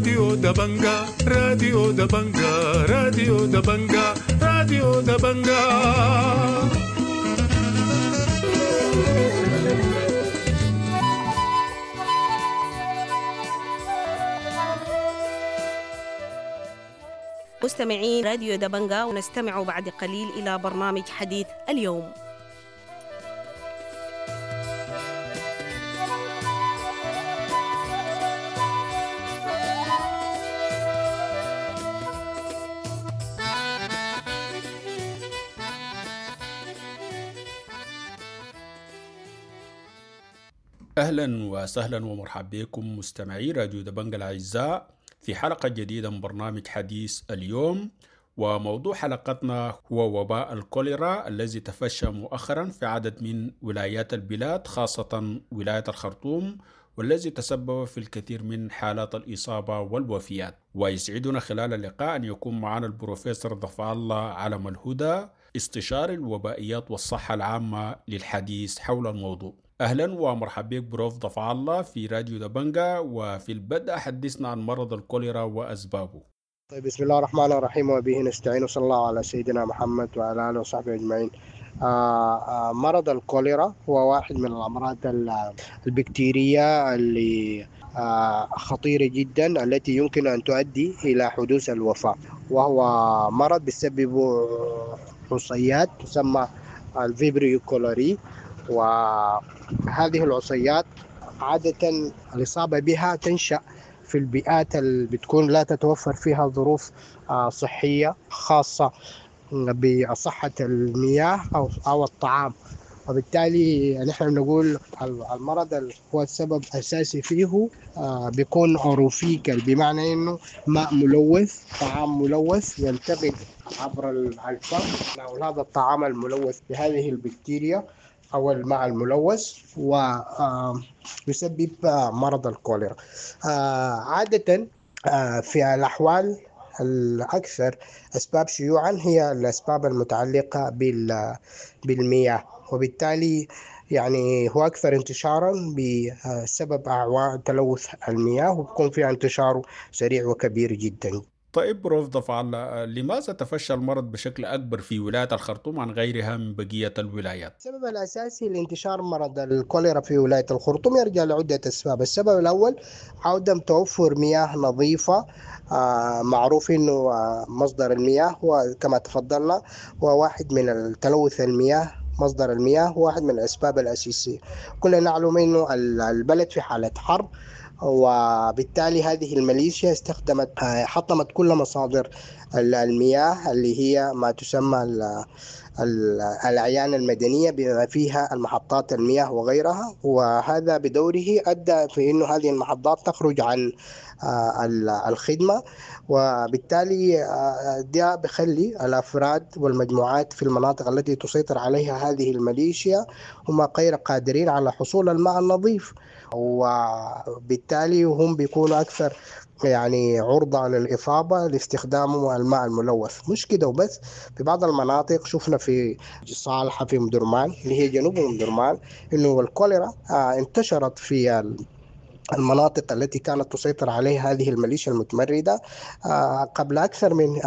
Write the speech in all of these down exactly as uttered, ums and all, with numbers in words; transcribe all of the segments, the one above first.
راديو دبنجا، راديو دبنجا، راديو دبنجا، راديو دبنجا. مستمعين راديو دبنجا، ونستمع بعد قليل إلى برنامج حديث اليوم. أهلا وسهلا ومرحبا بكم مستمعي راديو دبنجا الأعزاء في حلقة جديدة من برنامج حديث اليوم. وموضوع حلقتنا هو وباء الكوليرا الذي تفشى مؤخرا في عدد من ولايات البلاد، خاصة ولاية الخرطوم، والذي تسبب في الكثير من حالات الإصابة والوفيات. ويسعدنا خلال اللقاء أن يكون معنا البروفيسور ضفع الله علم الهدى، استشاري الوبائيات والصحة العامة، للحديث حول الموضوع. أهلا ومرحبا بك بروف ضفع الله في راديو دبنجا. وفي البدء حدثنا عن مرض الكوليرا وأسبابه. طيب، بسم الله الرحمن الرحيم وبه نستعين، وصلى الله على سيدنا محمد وعلى آله وصحبه أجمعين. آه آه مرض الكوليرا هو واحد من الأمراض البكتيرية اللي آه خطيرة جدا، التي يمكن أن تؤدي إلى حدوث الوفاة، وهو مرض بسبب عصيات تسمى ال Vibrio cholerae. وهذه العصيات عادة الإصابة بها تنشأ في البيئات اللي بتكون لا تتوفر فيها ظروف صحية خاصة بصحة المياه أو أو الطعام، وبالتالي نحن بنقول المرض هو السبب الأساسي فيه بيكون orophecal، بمعنى إنه ماء ملوث، طعام ملوث ينتقل عبر الفم أو هذا الطعام الملوث بهذه البكتيريا أو الماء الملوث، ويسبب مرض الكوليرا. عادة في الأحوال الأكثر أسباب شيوعا هي الأسباب المتعلقة بالمياه، وبالتالي يعني هو أكثر انتشارا بسبب أعوان تلوث المياه، وبيكون فيها انتشاره سريع وكبير جدا. طيب بروف ضفع الله، لماذا تفشى المرض بشكل أكبر في ولاية الخرطوم عن غيرها من بقية الولايات؟ السبب الأساسي لانتشار مرض الكوليرا في ولاية الخرطوم يرجع لعدة أسباب. السبب الأول عدم توفر مياه نظيفة. آه معروف أنه مصدر المياه هو كما تفضلنا هو واحد من التلوث المياه، مصدر المياه هو واحد من الأسباب الأساسية. كلنا نعلم أنه البلد في حالة حرب، وبالتالي هذه الميليشيا استخدمت حطمت كل مصادر المياه اللي هي ما تسمى الأعيان المدنية بما فيها المحطات المياه وغيرها، وهذا بدوره أدى في أنه هذه المحطات تخرج عن الخدمة، وبالتالي ده بخلي الأفراد والمجموعات في المناطق التي تسيطر عليها هذه الميليشيا هم غير قادرين على حصول الماء النظيف، وبالتالي هم بيكونوا أكثر يعني عرضة للإصابة لاستخدام الماء الملوث. مش كده وبس، في بعض المناطق شفنا في صالحة في مدرمان اللي هي جنوب مدرمان إنه الكوليرا انتشرت في المناطق التي كانت تسيطر عليها هذه الميليشيا المتمردة قبل أكثر من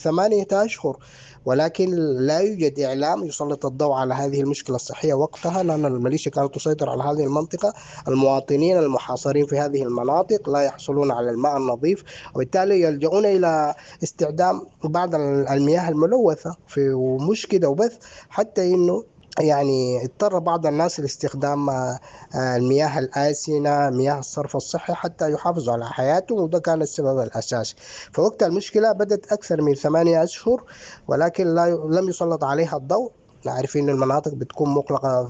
ثمانية أشهر، ولكن لا يوجد إعلام يسلط الضوء على هذه المشكلة الصحية وقتها، لأن الميليشيا كانت تسيطر على هذه المنطقة. المواطنين المحاصرين في هذه المناطق لا يحصلون على الماء النظيف، وبالتالي يلجؤون إلى استخدام بعض المياه الملوثة. في ومش كده وبس، حتى إنه يعني اضطر بعض الناس لاستخدام المياه الآسنة، مياه الصرف الصحي، حتى يحافظوا على حياتهم، وده كان السبب الأساسي. فوقت المشكلة بدأت أكثر من ثمانية أشهر، ولكن لا لم يسلط عليها الضوء. عارفين المناطق بتكون مغلقة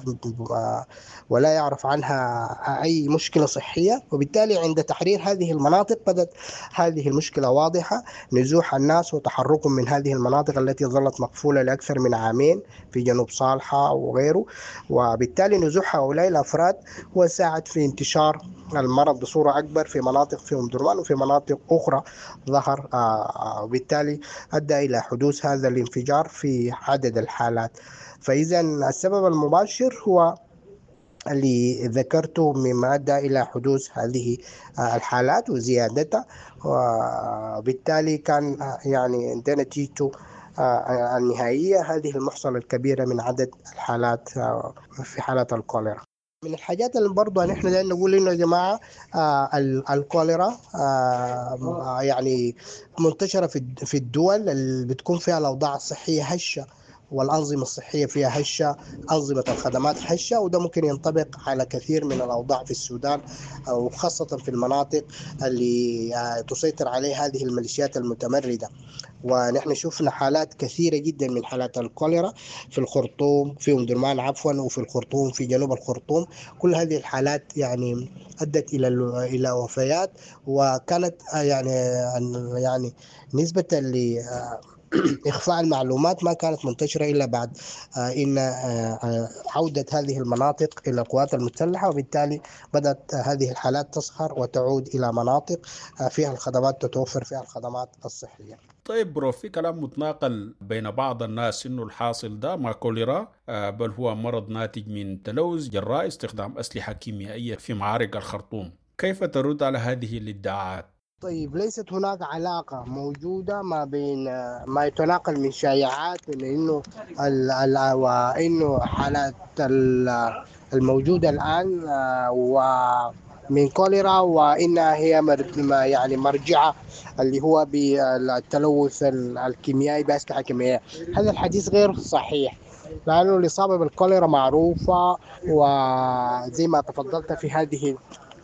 ولا يعرف عنها أي مشكلة صحية، وبالتالي عند تحرير هذه المناطق بدأت هذه المشكلة واضحة، نزوح الناس وتحركهم من هذه المناطق التي ظلت مقفولة لأكثر من عامين في جنوب صالحة وغيره، وبالتالي نزوح هؤلاء الأفراد هو ساعد في انتشار المرض بصورة أكبر في مناطق في أم درمان وفي مناطق أخرى ظهر، وبالتالي أدى إلى حدوث هذا الانفجار في عدد الحالات. فإذا السبب المباشر هو اللي ذكرته مما أدى إلى حدوث هذه الحالات وزيادتها، وبالتالي كان يعني ده نتيجته النهائية هذه المحصلة الكبيرة من عدد الحالات في حالات الكوليرا. من الحاجات اللي برضه نحن دايرين نقول إنه يا جماعة الكوليرا يعني منتشرة في الدول اللي بتكون فيها الأوضاع الصحية هشة والأنظمة الصحية فيها هشة، أنظمة الخدمات هشة، وده ممكن ينطبق على كثير من الأوضاع في السودان وخاصة في المناطق اللي تسيطر عليها هذه الميليشيات المتمردة. ونحن شفنا حالات كثيرة جدا من حالات الكوليرا في الخرطوم، في أم درمان عفوا، وفي الخرطوم، في جنوب الخرطوم. كل هذه الحالات يعني أدت إلى إلى وفيات، وكانت يعني يعني نسبة ل إخفاء المعلومات ما كانت منتشرة إلا بعد إن عودة هذه المناطق إلى القوات المسلحة، وبالتالي بدأت هذه الحالات تظهر وتعود إلى مناطق فيها الخدمات، تتوفر فيها الخدمات الصحية. طيب بروف، في كلام متناقل بين بعض الناس إنه الحاصل ده ما كوليرا، بل هو مرض ناتج من تلوث جراء استخدام أسلحة كيميائية في معارك الخرطوم. كيف ترد على هذه الادعاءات؟ طيب، ليست هناك علاقة موجودة ما بين ما يتناقل من شائعات من إنه ال ال وإنه حالات الموجودة الآن ومن كوليرا، وإنها هي يعني مرجعة اللي هو بالتلوث الكيميائي بأسلحة كيميائية. هذا الحديث غير صحيح، لأنه الإصابة بالكوليرا معروفة، وزي ما تفضلت في هذه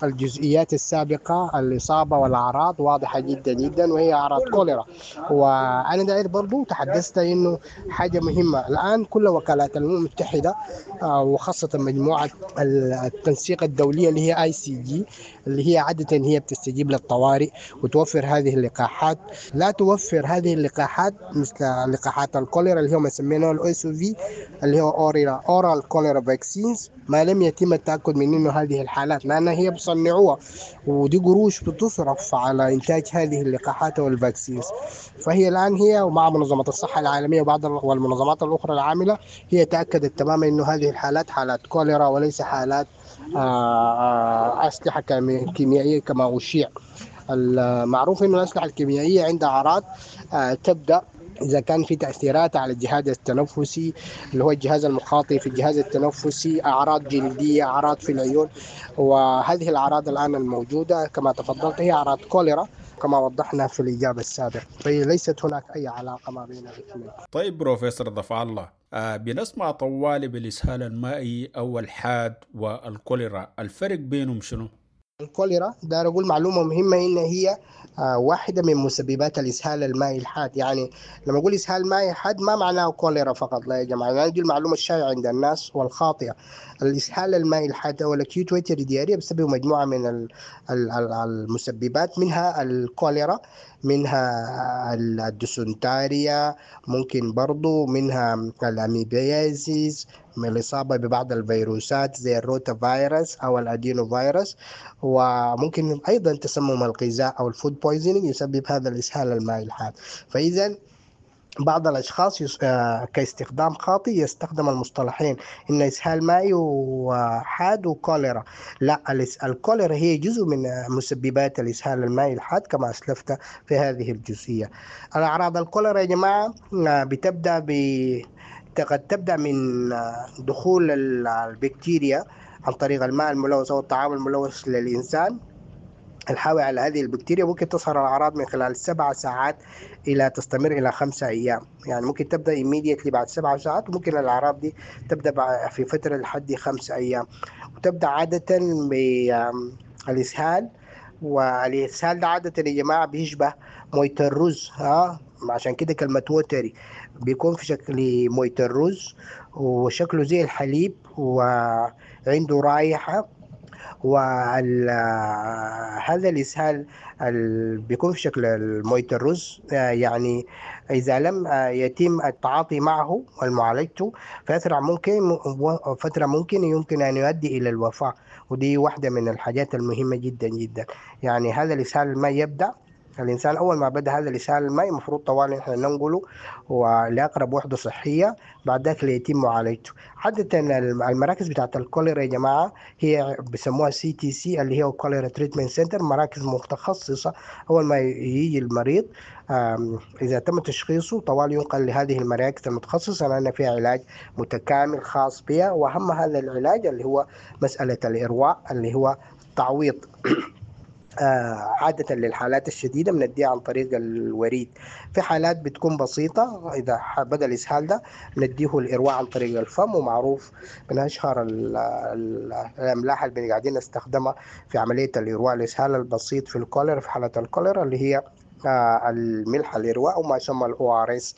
الجزئيات السابقة الإصابة والأعراض واضحة جدا جدا، وهي أعراض كوليرا. وأنا داير برضو تحدثت إنه حاجة مهمة الآن، كل وكالات الأمم المتحدة وخاصة مجموعة التنسيق الدولية اللي هي آي سي جي، اللي هي عادة هي بتستجيب للطوارئ وتوفر هذه اللقاحات، لا توفر هذه اللقاحات مثل لقاحات الكوليرا اللي هم سميناها ال OCV اللي هو oral cholera vaccines، ما لم يتم التأكد من إنه هذه الحالات، لأنها هي بصنعوها ودي قروش بتصرف على إنتاج هذه اللقاحات وال vaccines. فهي الآن هي ومع منظمة الصحة العالمية وبعض والمنظمات الأخرى العاملة هي تأكدت تماما إنه هذه الحالات حالات كوليرا وليس حالات أسلحة كيميائية كما أشيع. المعروف إنه الأسلحة الكيميائية عندها أعراض تبدأ إذا كان في تأثيرات على الجهاز التنفسي اللي هو الجهاز المخاطي في الجهاز التنفسي، أعراض جلدية، أعراض في العيون، وهذه الأعراض الآن الموجودة كما تفضلت هي أعراض كوليرا كما وضحنا في الإجابة السابقة، فهي ليست هناك أي علاقة ما بين الاثنين. طيب بروفيسور دفع الله، آه بنسمع طوالي بالإسهال المائي أو الحاد والكوليرا، الفرق بينهم شنو؟ الكوليرا دار أقول معلومة مهمة إن هي واحدة من مسببات الإسهال المائي الحاد. يعني لما أقول إسهال مائي حاد ما معناه كوليرا فقط، لا يا جماعة، يعني دي المعلومة الشائعة عند الناس والخاطئة. الإسهال المائي الحاد أو ال acute watery diarrhea بسبب مجموعة من المسببات، منها الكوليرا، منها الديسنتاريا، ممكن برضو منها ال amoebiasis، من الإصابة ببعض الفيروسات زي الروتا فيروس أو ال adenovirus، وممكن أيضا تسمم الغذاء أو ال food poisoning يسبب هذا الإسهال المائي الحاد. فإذا بعض الأشخاص يس... كاستخدام خاطئ يستخدم المصطلحين إن إسهال مائي وحاد وكوليرا. لا، الكوليرا هي جزء من مسببات الإسهال المائي الحاد كما أسلفت في هذه الجزئية. الأعراض الكوليرا يا جماعة بتبدأ ب قد تبدأ من دخول البكتيريا عن طريق الماء الملوث أو الطعام الملوث للإنسان الحاوي على هذه البكتيريا. ممكن تظهر الأعراض من خلال سبع ساعات إلى تستمر إلى خمسة أيام، يعني ممكن تبدأ immediately بعد سبع ساعات، وممكن الأعراض دي تبدأ في فترة لحد خمسة أيام، وتبدأ عادة بالإسهال. والإسهال ده عادة يا جماعة بيشبه موية الرز، ها عشان كده كلمة watery، بيكون في شكل موية الرز وشكله زي الحليب وعنده رائحة. وهذا الإسهال بيكون في شكل موية الرز، يعني إذا لم يتم التعاطي معه ومعالجته فترة ممكن فترة ممكن يمكن أن يؤدي إلى الوفاة، ودي واحدة من الحاجات المهمة جدا جدا. يعني هذا الإسهال ما يبدأ الإنسان أول ما بدأ هذا الإسهال المائي المفروض طوالي نحن ننقله ولأقرب وحدة صحية، بعد ذاك ليتم معالجته. عادة المراكز بتاعت الكوليرا يا جماعة هي بيسموها CTC اللي هي cholera treatment center، مراكز متخصصة. أول ما يجي المريض إذا تم تشخيصه طوال ينقل لهذه المراكز المتخصصة لأن فيها علاج متكامل خاص بها، وأهم هذا العلاج اللي هو مسألة الإرواء اللي هو تعويض عادة للحالات الشديدة بنديها عن طريق الوريد. في حالات بتكون بسيطة إذا بدأ الإسهال ده نديه الإرواء عن طريق الفم، ومعروف من أشهر الأملاح اللي قاعدين نستخدمها في عملية الإرواء الإسهال البسيط في الكوليرا في حالة الكوليرا اللي هي الملح الإرواء وما يسمى ال ORS،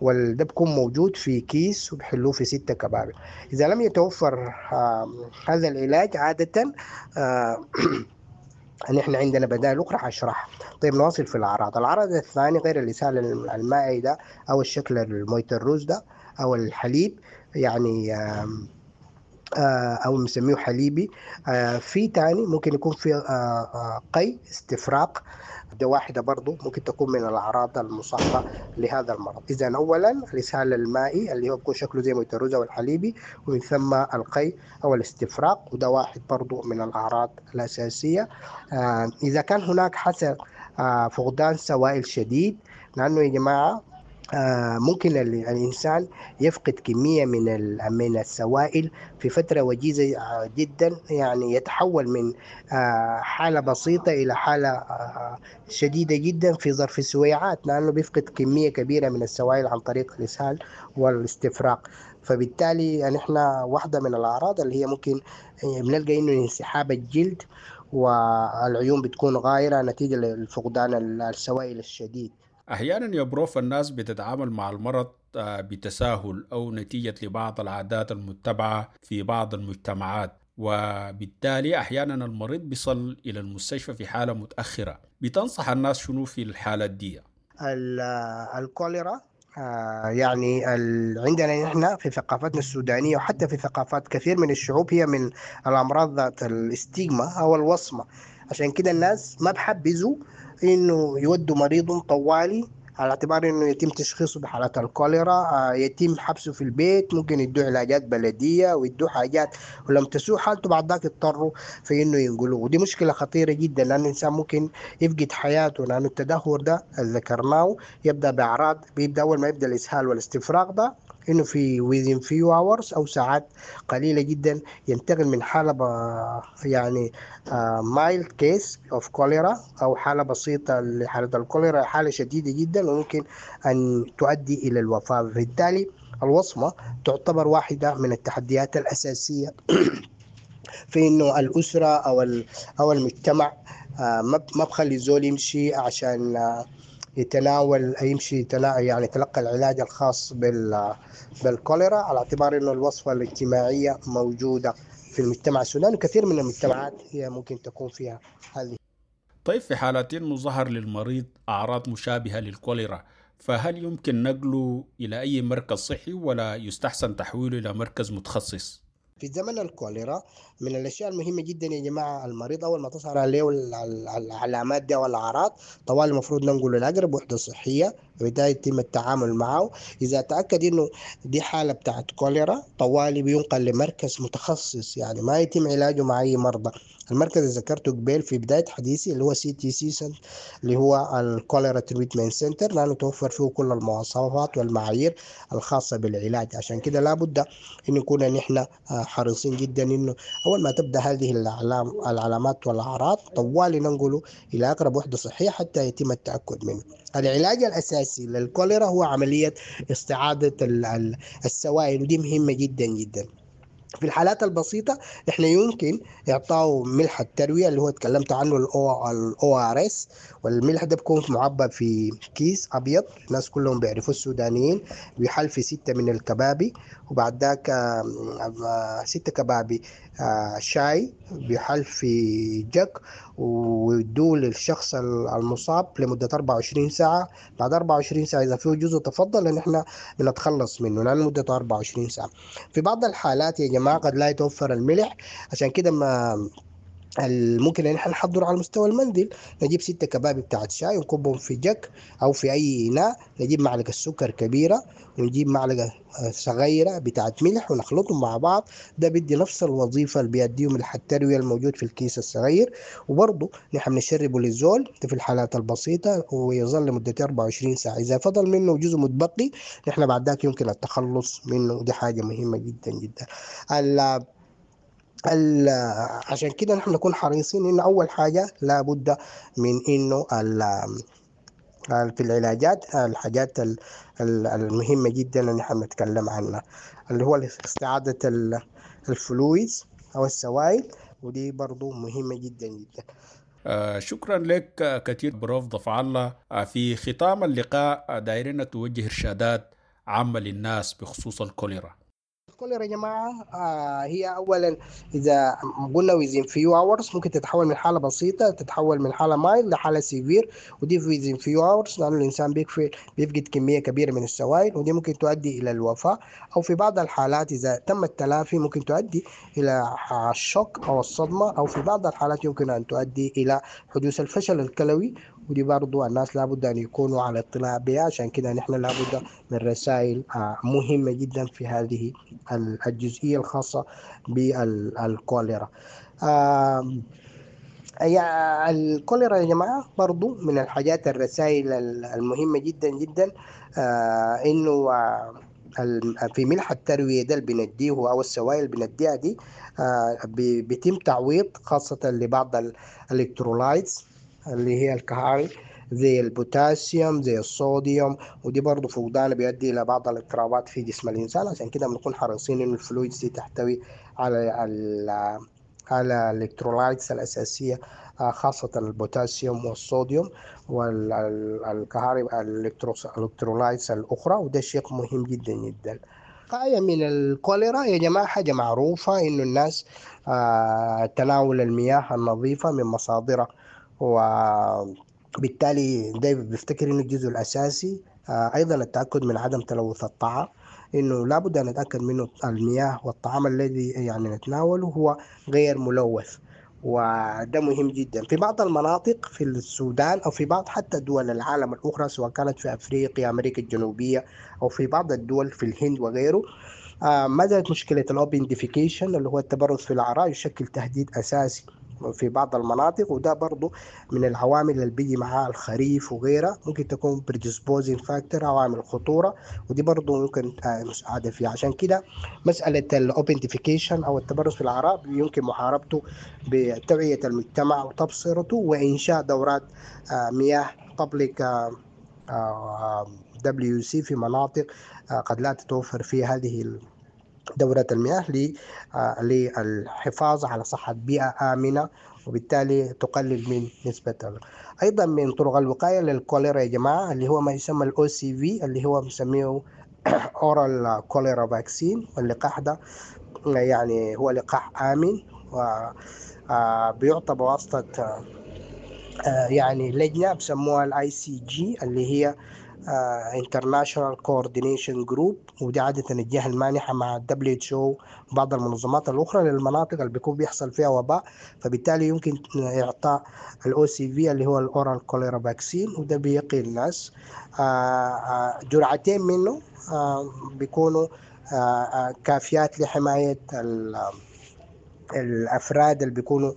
وده بيكون موجود في كيس وبحلوه في ستة كبابل. إذا لم يتوفر هذا العلاج عادة نحن عندنا بدائل أخرى حشرحها. طيب نواصل في الأعراض. العرض الثاني غير الإسهال المائي ده أو الشكل الموية الرز ده أو الحليب يعني أو نسميه حليبي، في تاني ممكن يكون في قي استفراق، ده واحدة برضو ممكن تكون من الأعراض المصاحبة لهذا المرض. إذا أولا الإسهال المائي اللي هو بيكون شكله زي موية الرز أو الحليبي، ومن ثم القي أو الاستفراق، وده واحد برضو من الأعراض الأساسية. إذا كان هناك حسن فقدان سوائل شديد، لأنه يا جماعة ممكن الإنسان يفقد كمية من من السوائل في فترة وجيزة جدا، يعني يتحول من حالة بسيطة إلى حالة شديدة جدا في ظرف سويعات، لأنه بيفقد كمية كبيرة من السوائل عن طريق الإسهال والاستفراق. فبالتالي نحن واحدة من الأعراض اللي هي ممكن بنلقى إنه انسحاب الجلد والعيون بتكون غايرة نتيجة لفقدان السوائل الشديد. أحيانا يا بروف الناس بتتعامل مع المرض بتساهل أو نتيجة لبعض العادات المتبعة في بعض المجتمعات، وبالتالي أحيانا المريض بيصل إلى المستشفى في حالة متأخرة. بتنصح الناس شنو في الحالة دي؟ الكوليرا يعني عندنا نحن في ثقافتنا السودانية وحتى في ثقافات كثير من الشعوب هي من الأمراض ذات الاستيغما أو الوصمة، عشان كده الناس ما بحبزوا إنه يودوا مريض طوالي على اعتبار إنه يتم تشخيصه بحالات الكوليرا، يتم حبسه في البيت، ممكن يدوا علاجات بلدية ويدوا حاجات، ولم تسوء حالته بعد ذاك يضطروا في إنه ينقلوه. ودي مشكلة خطيرة جدا لأن الإنسان ممكن يفقد حياته، لأنه التدهور ده اللي ذكرناه يبدأ بأعراض، بيبدأ أول ما يبدأ الإسهال والاستفراغ ده إنه في within few hours أو ساعات قليلة جدا ينتقل من حالة يعني mild case of cholera أو حالة بسيطة لحالة الكوليرا حالة شديدة جدا وممكن أن تؤدي إلى الوفاة. بالتالي الوصمة تعتبر واحدة من التحديات الأساسية في إنه الأسرة أو أو المجتمع ما بخلي الزول يمشي عشان يتناول يمشي يعني يتلقى العلاج الخاص بال بالكوليرا، على اعتبار انه الوصفة الاجتماعية موجودة في المجتمع السوداني وكثير من المجتمعات هي ممكن تكون فيها هذه. طيب في حالات انه ظهر للمريض اعراض مشابهة للكوليرا، فهل يمكن نقله الى اي مركز صحي ولا يستحسن تحويله الى مركز متخصص؟ في زمن الكوليرا من الأشياء المهمة جدا يا جماعة، المريض أول ما تظهر عليه العلامات دي والأعراض طوال المفروض ننقله لأقرب وحدة صحية وبالتالي يتم التعامل معه. إذا تأكد إنه دي حالة بتاعت كوليرا طوالي بينقل لمركز متخصص، يعني ما يتم علاجه مع أي مرضى. المركز اللي ذكرته قبل في بداية حديثي اللي هو CTC اللي هو ال cholera treatment center، لأنه توفر فيه كل المواصفات والمعايير الخاصة بالعلاج. عشان كده لابد إن نكون نحن حريصين جدا إنه أول ما تبدأ هذه الأعلام العلامات والأعراض طوالي ننقله إلى أقرب وحدة صحية حتى يتم التأكد منه. العلاج الأساسي للكوليرا هو عملية استعادة السوائل، ودي مهمة جدا جدا. في الحالات البسيطة احنا يمكن إعطائه ملح التروية اللي هو تكلمت عنه ال ORS، والملح ده بيكون معبى في كيس أبيض، الناس كلهم بيعرفوه السودانيين، بيحل في ستة من الكبابي، وبعد ذاك ستة كبابي شاي بيحل في جك ويدوه للشخص المصاب لمدة أربعة وعشرين ساعة. بعد أربعة وعشرين ساعة إذا فيه جزء تفضل إن إحنا بنتخلص منه لأن مدة أربعة وعشرين ساعة. في بعض الحالات يا جماعة قد لا يتوفر الملح، عشان كده ما ممكن ان احنا نحضره على مستوى المنزل. نجيب ستة كبابي بتاعت شاي ونكبهم في جك او في اي اناء، نجيب معلقه سكر كبيرة ونجيب معلقه صغيرة بتاعت ملح ونخلطهم مع بعض. ده بيدي نفس الوظيفة اللي بيديه ملح التروية الموجود في الكيس الصغير. وبرضه نحن بنشربه للزول في الحالات البسيطة ويظل لمدة أربعة وعشرين ساعة. اذا فضل منه جزء متبقي نحن بعد ذاك يمكن التخلص منه، ودي حاجة مهمة جدا جدا. عشان كده نحن نكون حريصين انه اول حاجة لابد من انه في العلاجات الحاجات المهمة جدا اللي نحن نتكلم عنها اللي هو استعاده ال fluids او السوائل، ودي برضو مهمة جدا جدا. آه شكرا لك كثير بروف ضفع الله. في ختام اللقاء دايرين توجه ارشادات عامة للناس بخصوص الكوليرا. الكوليرا يا جماعة آه هي أولا إذا قلنا within few hours ممكن تتحول من حالة بسيطة، تتحول من حالة mild لحالة severe، ودي within few hours لأنه الإنسان بيكفي بيفقد كمية كبيرة من السوائل، ودي ممكن تؤدي إلى الوفاة، أو في بعض الحالات إذا تم التلافي ممكن تؤدي إلى ال shock أو الصدمة، أو في بعض الحالات يمكن أن تؤدي إلى حدوث الفشل الكلوي، ودي برضو الناس لابد أن يكونوا على اطلاع بها. عشان كده نحن لابد من رسائل مهمة جدا في هذه الجزئية الخاصة بالكوليرا. الكوليرا يا جماعة برضو من الحاجات الرسائل المهمة جدا جدا إنه في ملح التروية ده اللي بنديه أو السوائل اللي بنديها دي بيتم تعويض خاصة لبعض ال electrolytes اللي هي الكهاري زي البوتاسيوم زي الصوديوم، ودي برضه فقدانه بيؤدي الى بعض الاضطرابات في جسم الانسان. عشان كده بنكون حريصين انه ال fluids دي تحتوي على ال على ال electrolytes الاساسية خاصة البوتاسيوم والصوديوم والكهارب ال electrolytes الاخرى، وده شيء مهم جدا جدا. الوقاية من الكوليرا يا جماعة حاجة معروفة انه الناس تناول المياه النظيفة من مصادرها، وبالتالي ده بيفتكر انه الجزء الاساسي. ايضا التاكد من عدم تلوث الطعام، انه لابد ان نتاكد منه المياه والطعام الذي يعني نتناوله هو غير ملوث، وده مهم جدا. في بعض المناطق في السودان او في بعض حتى دول العالم الاخرى سواء كانت في افريقيا، امريكا الجنوبية، او في بعض الدول في الهند وغيره، ما زالت مشكلة ال open defecation اللي هو التبرز في العراء يشكل تهديد اساسي في بعض المناطق، وده برضو من العوامل اللي بيجي معاه الخريف وغيرها، ممكن تكون predisposing factor أو عامل خطورة، ودي برضو ممكن مساعدة فيها. عشان كده مسألة ال open defecation أو التبرز في العراء يمكن محاربته بتوعية المجتمع وتبصرته وإنشاء دورات مياه public WC في مناطق قد لا تتوفر فيها هذه دورة المياه للحفاظ على صحة بيئة آمنة، وبالتالي تقلل من نسبة. أيضا من طرق الوقاية للكوليرا يا جماعة اللي هو ما يسمى ال OCV اللي هو بنسميه Oral Cholera Vaccine، واللقاح ده يعني هو لقاح آمن وبيعطى بواسطة يعني لجنة بسموها ال ICG اللي هي International Coordination Group، ودي عادة الجهة المانحة مع دبليو إتش أو وبعض المنظمات الأخرى للمناطق اللي بيكون بيحصل فيها وباء، فبالتالي يمكن إعطاء ال OCV اللي هو ال Oral Cholera Vaccine، وده بيقي الناس. جرعتين منه بيكونوا كافيات لحماية الافراد اللي بيكونوا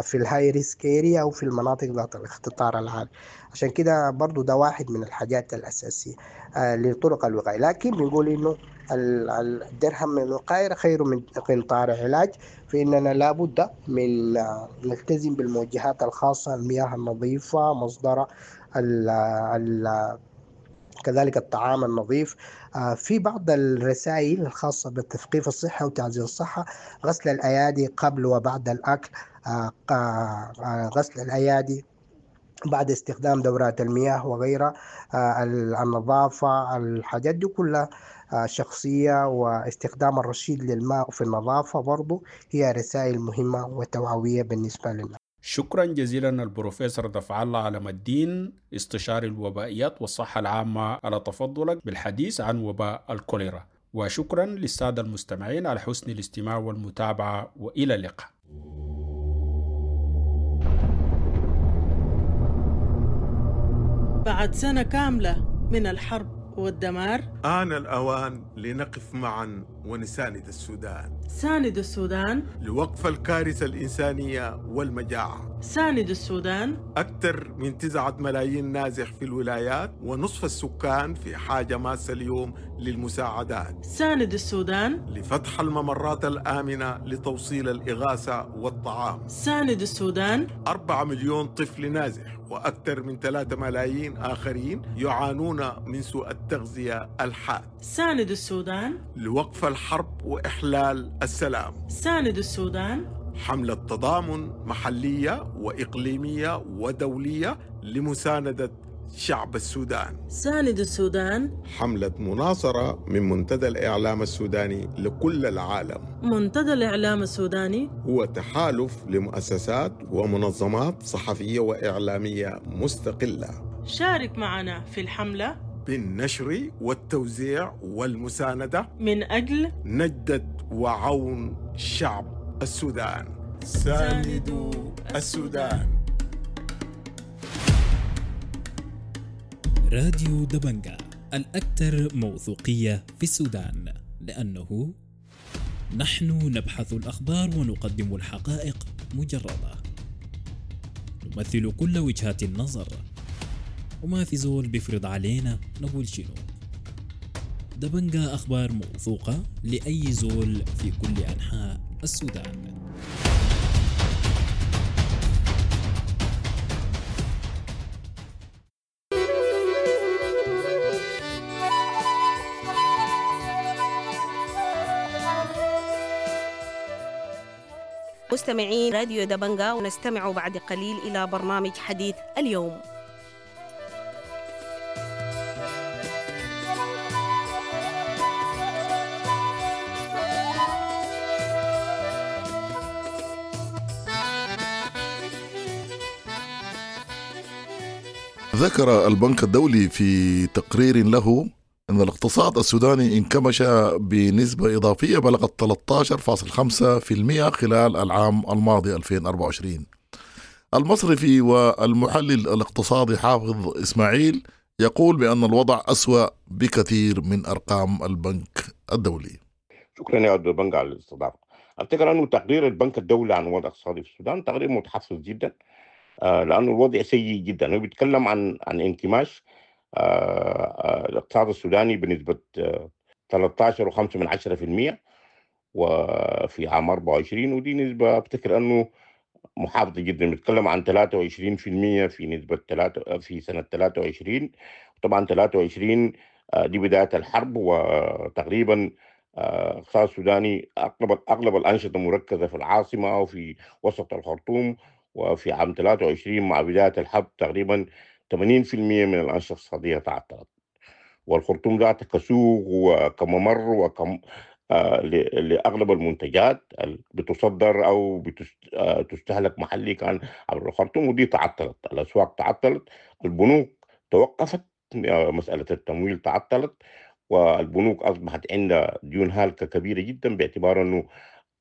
في ال high risk area او في المناطق ذات الاختطار العالي. عشان كده برضو ده واحد من الحاجات الاساسية لطرق الوقاية. لكن بنقول انه الدرهم من الوقاية خير من قنطار علاج، فاننا لابد من نلتزم بالموجهات الخاصة، المياه النظيفة مصدر ال ال كذلك الطعام النظيف. في بعض الرسائل الخاصة بالتثقيف الصحة وتعزيز الصحة، غسل الأيادي قبل وبعد الأكل، غسل الأيادي بعد استخدام دورات المياه وغيرها، النظافة، الحاجات دي كلها شخصية، واستخدام الرشيد للماء في النظافة برضو هي رسائل مهمة وتوعوية بالنسبة لنا. شكرا جزيلا البروفيسور دفع الله علم الدين، استشاري الوبائيات والصحة العامة، على تفضلك بالحديث عن وباء الكوليرا، وشكرا للسادة المستمعين على حسن الاستماع والمتابعة، وإلى اللقاء. بعد سنة كاملة من الحرب والدمار، آن الأوان لنقف معا ونساند السودان. ساند السودان لوقف الكارثة الإنسانية والمجاعة. ساند السودان. أكثر من تسعة ملايين نازح في الولايات ونصف السكان في حاجة ماسة اليوم للمساعدات. ساند السودان لفتح الممرات الآمنة لتوصيل الإغاثة والطعام. ساند السودان. أربعة مليون طفل نازح وأكثر من ثلاثة ملايين آخرين يعانون من سوء التغذية الحاد. ساند السودان لوقف الحرب وإحلال السلام. ساند السودان. حملة تضامن محلية وإقليمية ودولية لمساندة شعب السودان. ساند السودان. حملة مناصرة من منتدى الإعلام السوداني لكل العالم. منتدى الإعلام السوداني هو تحالف لمؤسسات ومنظمات صحفية وإعلامية مستقلة. شارك معنا في الحملة بالنشر والتوزيع والمساندة من أجل نجدة وعون شعب السودان. ساندوا السودان. راديو دبنجا الأكثر موثوقية في السودان، لأنه نحن نبحث الأخبار ونقدم الحقائق مجردة، نمثل كل وجهات النظر، وما في زول بيفرض علينا نقول شنو. دبنجا أخبار موثوقة لأي زول في كل أنحاء السودان. مستمعين راديو دبنجا، ونستمع بعد قليل إلى برنامج حديث اليوم. ذكر البنك الدولي في تقرير له أن الاقتصاد السوداني انكمش بنسبة إضافية بلغت ثلاثة عشر فاصلة خمسة بالمئة خلال العام الماضي ألفين وأربعة وعشرين. المصرفي والمحلل الاقتصادي حافظ إسماعيل يقول بأن الوضع أسوأ بكثير من أرقام البنك الدولي. شكرا يا عبد البنك على الاستضافة. أفتكر أنه تقرير البنك الدولي عن الوضع الاقتصادي في السودان تقرير متحفظ جدا، لأنه الوضع سيء جدا. هو بيتكلم عن عن انكماش الاقتصاد السوداني بنسبة ثلاثة عشر فاصلة خمسة من عشرة في المئة وفي عام أربعة وعشرين، ودي نسبة أفتكر أنه محافظة جدا. بيتكلم عن ثلاثة وعشرين في المئة في نسبة ثلاثة في سنة ثلاثة وعشرين. طبعا ثلاثة وعشرين دي بداية الحرب، وتقريبا الاقتصاد السوداني أغلب أغلب الأنشطة مركزة في العاصمة وفي وسط الخرطوم، وفي عام ثلاثة وعشرين مع بداية الحرب تقريبا ثمانين في المئة من الأنشطة الاقتصادية تعطلت، والخرطوم ذاتها كسوق وكممر وكم آه لأغلب المنتجات بتصدر أو بتستهلك محلي كان عبر الخرطوم، ودي تعطلت. الأسواق تعطلت، البنوك توقفت، مسألة التمويل تعطلت، والبنوك أصبحت عندها ديون هالكة كبيرة جدا، باعتبار أنه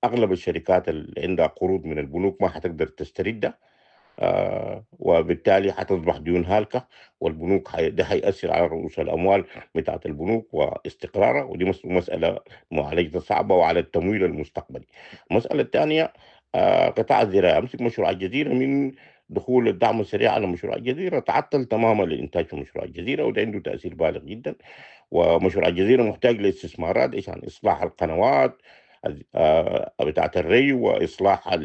أغلب الشركات اللي عندها قروض من البنوك ما حتقدر تستردها، آه وبالتالي حتصبح ديون هالكة، والبنوك حي... ده حيأثر على رؤوس الأموال بتاعة البنوك واستقرارها، ودي مسألة معالجتها صعبة، وعلى التمويل المستقبلي. المسألة الثانية آه قطاع الزراعة. أمسك مشروع الجزيرة، من دخول الدعم السريع على مشروع الجزيرة تعطل تماما الإنتاج في مشروع الجزيرة، وده عنده تأثير بالغ جدا. ومشروع الجزيرة محتاج لاستثمارات عشان إصلاح القنوات بتاعة الري، وإصلاح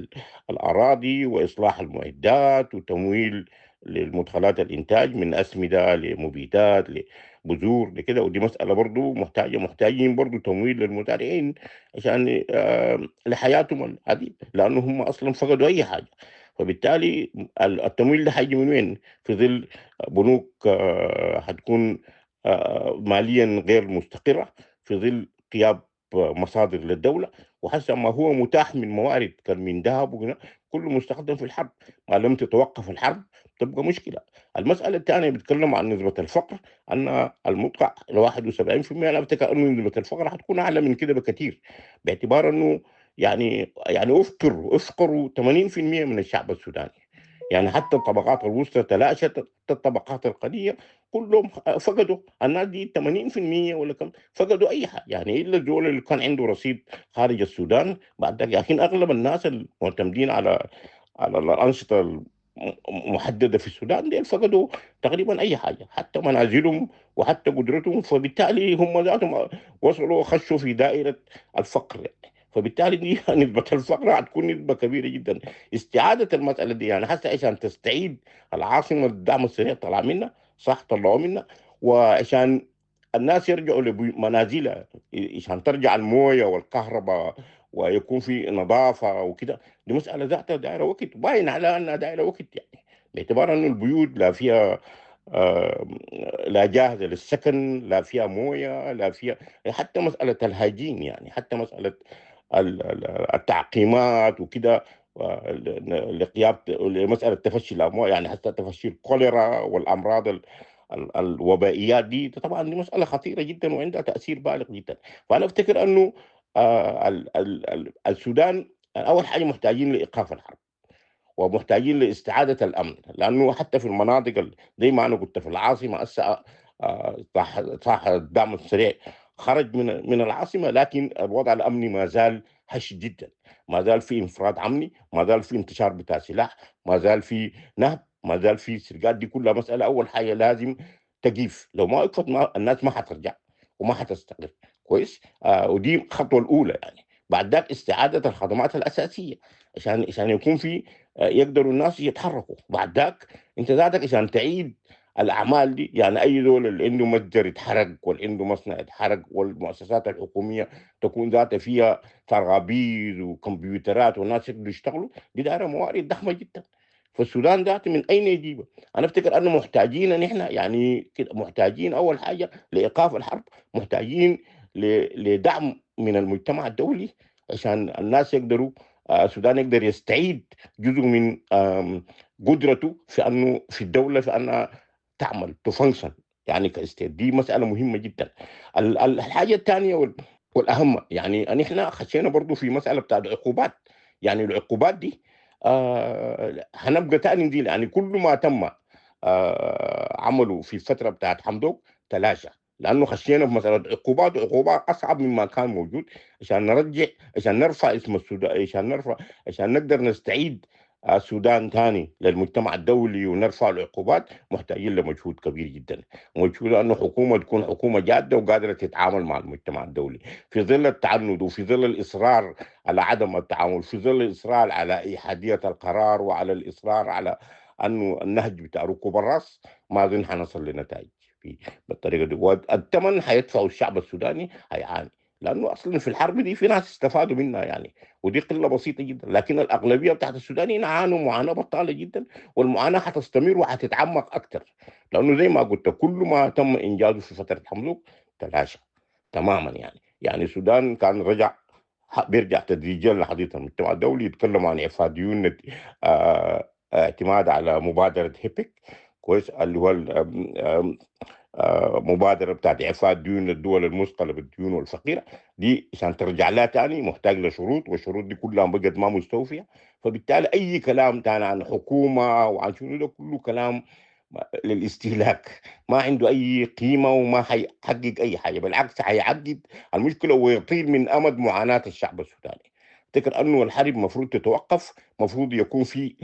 الأراضي، وإصلاح المعدات، وتمويل للمدخلات الإنتاج من أسمدة لمبيدات لبذور لكده. ودي مسألة برضو محتاجة محتاجين برضو تمويل للمزارعين عشان لحياتهم هذه، لأنه هم أصلا فقدوا أي حاجة. فبالتالي التمويل ده حيجي من وين في ظل بنوك حتكون ماليا غير مستقرة، في ظل غياب مصادر للدولة، وحسب ما هو متاح من موارد كان من ذهب وكذا كله مستخدم في الحرب. ما لم تتوقف الحرب تبقى مشكلة. المسألة الثانية بيتكلم عن نسبة الفقر، أن المدقع واحد وسبعين في المئة. أنا أفتكر أنه نسبة الفقر حتكون أعلى من كده بكثير، باعتبار أنه يعني يعني أفقروا أفقروا ثمانين في المئة من الشعب السوداني. يعني حتى الطبقات الوسطى تلاشت، حتى الطبقات القليلة كلهم فقدوا. الناس دي ثمانين بالمئة ولا كم فقدوا اي حاجة، يعني الا الدول اللي كان عنده رصيد خارج السودان بعد ذلك. لكن اغلب الناس المعتمدين على على الانشطة المحددة في السودان دي فقدوا تقريبا اي حاجة، حتى منازلهم وحتى قدرتهم، فبالتالي هم ذاتهم وصلوا خشوا في دائرة الفقر يعني. فبالتالي دي نسبة الفقر هتكون نسبة كبيرة جدا. استعادة المسألة دي يعني حتى عشان تستعيد العاصمة الدعم السريع طلع منها، صح طلعوا منها، وعشان الناس يرجعوا لمنازلها، عشان ترجع الموية والكهرباء ويكون في نظافة وكده، دي مسألة ذاتها دائرة وقت، باين على أنها دائرة وقت يعني، باعتبار أنه البيوت لا فيها آه لا جاهزة للسكن، لا فيها موية، لا فيها حتى مسألة الهجين يعني، حتى مسألة التعقيمات وكده، لقيادة لمسألة تفشي الأمواء يعني، حتى تفشي الكوليرا والأمراض ال ال الوبائيات دي، طبعا دي مسألة خطيرة جدا وعندها تأثير بالغ جدا. فأنا أفتكر أنه آه ال ال ال السودان أول حاجة محتاجين لإيقاف الحرب ومحتاجين لاستعادة الأمن، لأنه حتى في المناطق زي ما أنا قلت في العاصمة هسه صح صح الدعم السريع خرج من من العاصمة، لكن الوضع الأمني ما زال هش جدا، ما زال في انفراد أمني، ما زال في انتشار بتاع سلاح، ما زال في نهب، ما زال في سرقات. دي كلها مسألة أول حاجة لازم تقيف، لو ما وقفت ما الناس ما حترجع وما حتستقر كويس. آه ودي الخطوة الأولى يعني. بعد ذاك استعادة الخدمات الأساسية عشان عشان يكون في آه يقدروا الناس يتحركوا. بعد ذاك انت ذاتك عشان تعيد الاعمال دي يعني، اي دول اللي عنده متجر يتحرق واللي عنده مصنع يتحرق والمؤسسات الحكومية تكون ذاتها فيها ترابيز وكمبيوترات والناس يقدروا يشتغلوا، دي دائرة موارد ضخمة جدا. فالسودان ذاته من اين يجيبها؟ انا افتكر انه محتاجين نحن يعني كده، محتاجين اول حاجة لايقاف الحرب، محتاجين لدعم من المجتمع الدولي عشان الناس يقدروا، السودان يقدر يستعيد جزء من قدرته في انه في الدولة في انها تعمل ت function يعني ك state. دي مسألة مهمة جدا. الحاجة الثانية والأهم يعني نحن خشينا برضو في مسألة بتاعت عقوبات، يعني العقوبات دي آه هنبقى تاني نزيل يعني، كل ما تم آه عمله في الفترة بتاعت حمدوك تلاشى، لأنه خشينا في مسألة عقوبات، وعقوبات أصعب مما كان موجود عشان نرجع، عشان نرفع اسم السودان، عشان نرفع، عشان نقدر نستعيد السودان ثاني للمجتمع الدولي ونرفع العقوبات. محتاجين لمجهود كبير جدا، مجهود انه حكومة تكون حكومة جاده وقادرة تتعامل مع المجتمع الدولي في ظل التعنت وفي ظل الاصرار على عدم التعامل، في ظل الاصرار على احادية القرار وعلى الاصرار على انه النهج بتاع ركوب الراس، ما اظن حنصل لنتائج في بالطريقة دي. والثمن حيدفعه الشعب السوداني هيعاني، لانه اصلا في الحرب دي في ناس استفادوا منها يعني، ودي قلة بسيطة جدا، لكن الاغلبية بتاعت السودانيين عانوا معاناة بطاله جدا، والمعاناة حتستمر وحتتعمق اكثر، لانه زي ما قلت كل ما تم انجازه في فترة حمدوك تلاشى تماما يعني. يعني السودان كان رجع بيرجع تدريجيا لحديث المجتمع الدولي، يتكلم عن اعفاء ديون، آه اعتماد على مبادرة هيبك كويس، اللي هو مبادرة بتاعت إعفاء الديون للدول المثقلة بالديون والفقيرة دي، عشان ترجع لها تاني محتاج لشروط، والشروط دي كلها بقت ما مستوفية. فبالتالي أي كلام تاني عن حكومة وعن شنو ده كله كلام للاستهلاك، ما عنده أي قيمة وما حيحقق أي حاجة، بالعكس حيعقد المشكلة ويطيل من أمد معاناة الشعب السوداني. افتكر أنه الحرب مفروض تتوقف، مفروض يكون في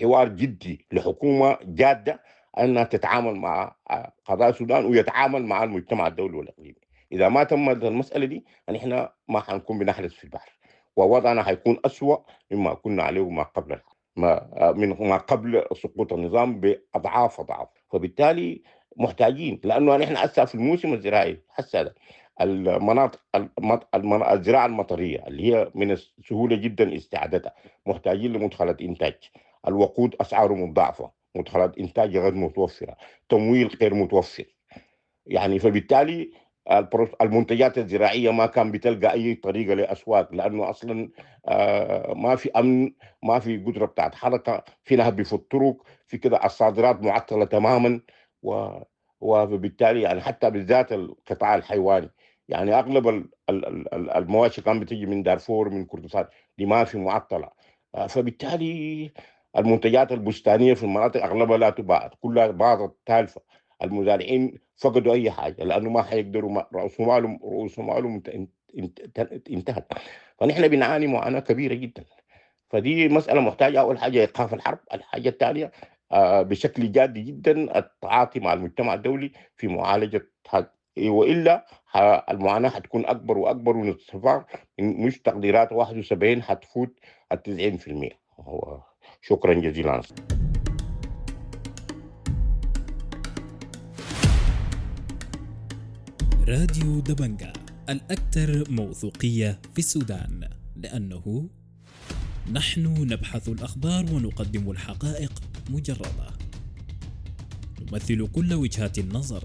حوار جدي لحكومة جادة أنها تتعامل مع قضاء السودان ويتعامل مع المجتمع الدولي والإقليمي. إذا ما تمت المسألة دي نحن ما حنكون بنحرس في البحر، ووضعنا حيكون أسوأ مما كنا عليه ما قبل ما من ما قبل سقوط النظام بأضعاف أضعاف. فبالتالي محتاجين، لأنه نحن هسه في الموسم الزراعي هسه المناطق الزراعة المطرية اللي هي من السهولة جدا استعادتها، محتاجين لمدخلات إنتاج، الوقود أسعاره مضاعفة، مدخلات إنتاج غير متوفرة، تمويل غير متوفر يعني. فبالتالي المنتجات الزراعية ما كان بتلقى أي طريقة لأسواق، لأنه أصلا ما في أمن، ما في قدرة بتاعت حركة، في نهب في الطرق، في كده الصادرات معطلة تماما، و وبالتالي يعني حتى بالذات القطاع الحيواني يعني أغلب المواشي كان بتيجي من دارفور من كردفان، دي ما في معطلة. فبالتالي المنتجات البستانيه في المناطق اغلبها لا تباع، كلها باظت تالفه. المزارعين فقدوا اي حاجة لانه ما حيقدروا، ما رؤوس مالهم رؤوس مالهم انتهت. فنحن بنعاني معاناة كبيرة جدا. فدي مسالة محتاجه اول حاجة ايقاف الحرب، الحاجة الثانية آه بشكل جاد جدا التعاطي مع المجتمع الدولي في معالجة هذا، والا المعاناة حتكون اكبر واكبر، ونتفق مش تقديرات واحد وسبعين حتفوت ال تسعين بالمئة. هو شكرا جزيلا. راديو دبنجا الأكثر موثوقية في السودان، لأنه نحن نبحث الأخبار ونقدم الحقائق مجردة، نمثل كل وجهات النظر،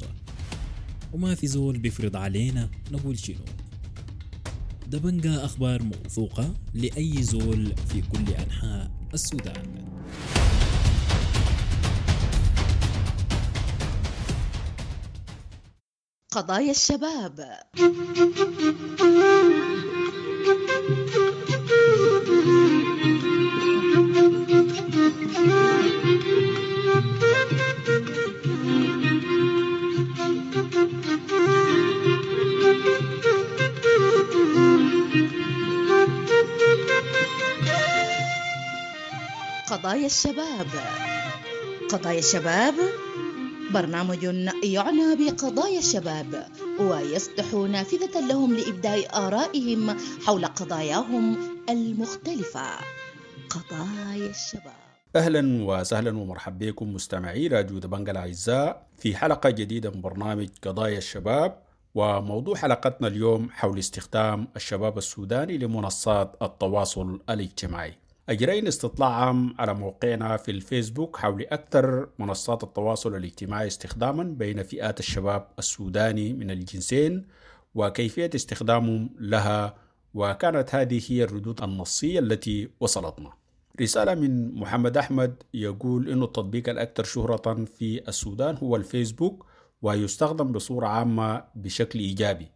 وما في زول بيفرض علينا نقول شنو. دبنجا أخبار موثوقة لأي زول في كل أنحاء السودان. قضايا الشباب. قضايا الشباب. قضايا الشباب برنامج يعنى بقضايا الشباب ويفتح نافذة لهم لإبداء آرائهم حول قضاياهم المختلفة. قضايا الشباب. أهلا وسهلا ومرحبا بكم مستمعي راديو دبنجا الأعزاء في حلقة جديدة من برنامج قضايا الشباب، وموضوع حلقتنا اليوم حول استخدام الشباب السوداني لمنصات التواصل الاجتماعي. أجرينا استطلاع عام على موقعنا في الفيسبوك حول أكثر منصات التواصل الاجتماعي استخداما بين فئات الشباب السوداني من الجنسين وكيفية استخدامهم لها، وكانت هذه هي الردود النصية التي وصلتنا. رسالة من محمد أحمد يقول إنه التطبيق الأكثر شهرة في السودان هو الفيسبوك ويستخدم بصورة عامة بشكل إيجابي،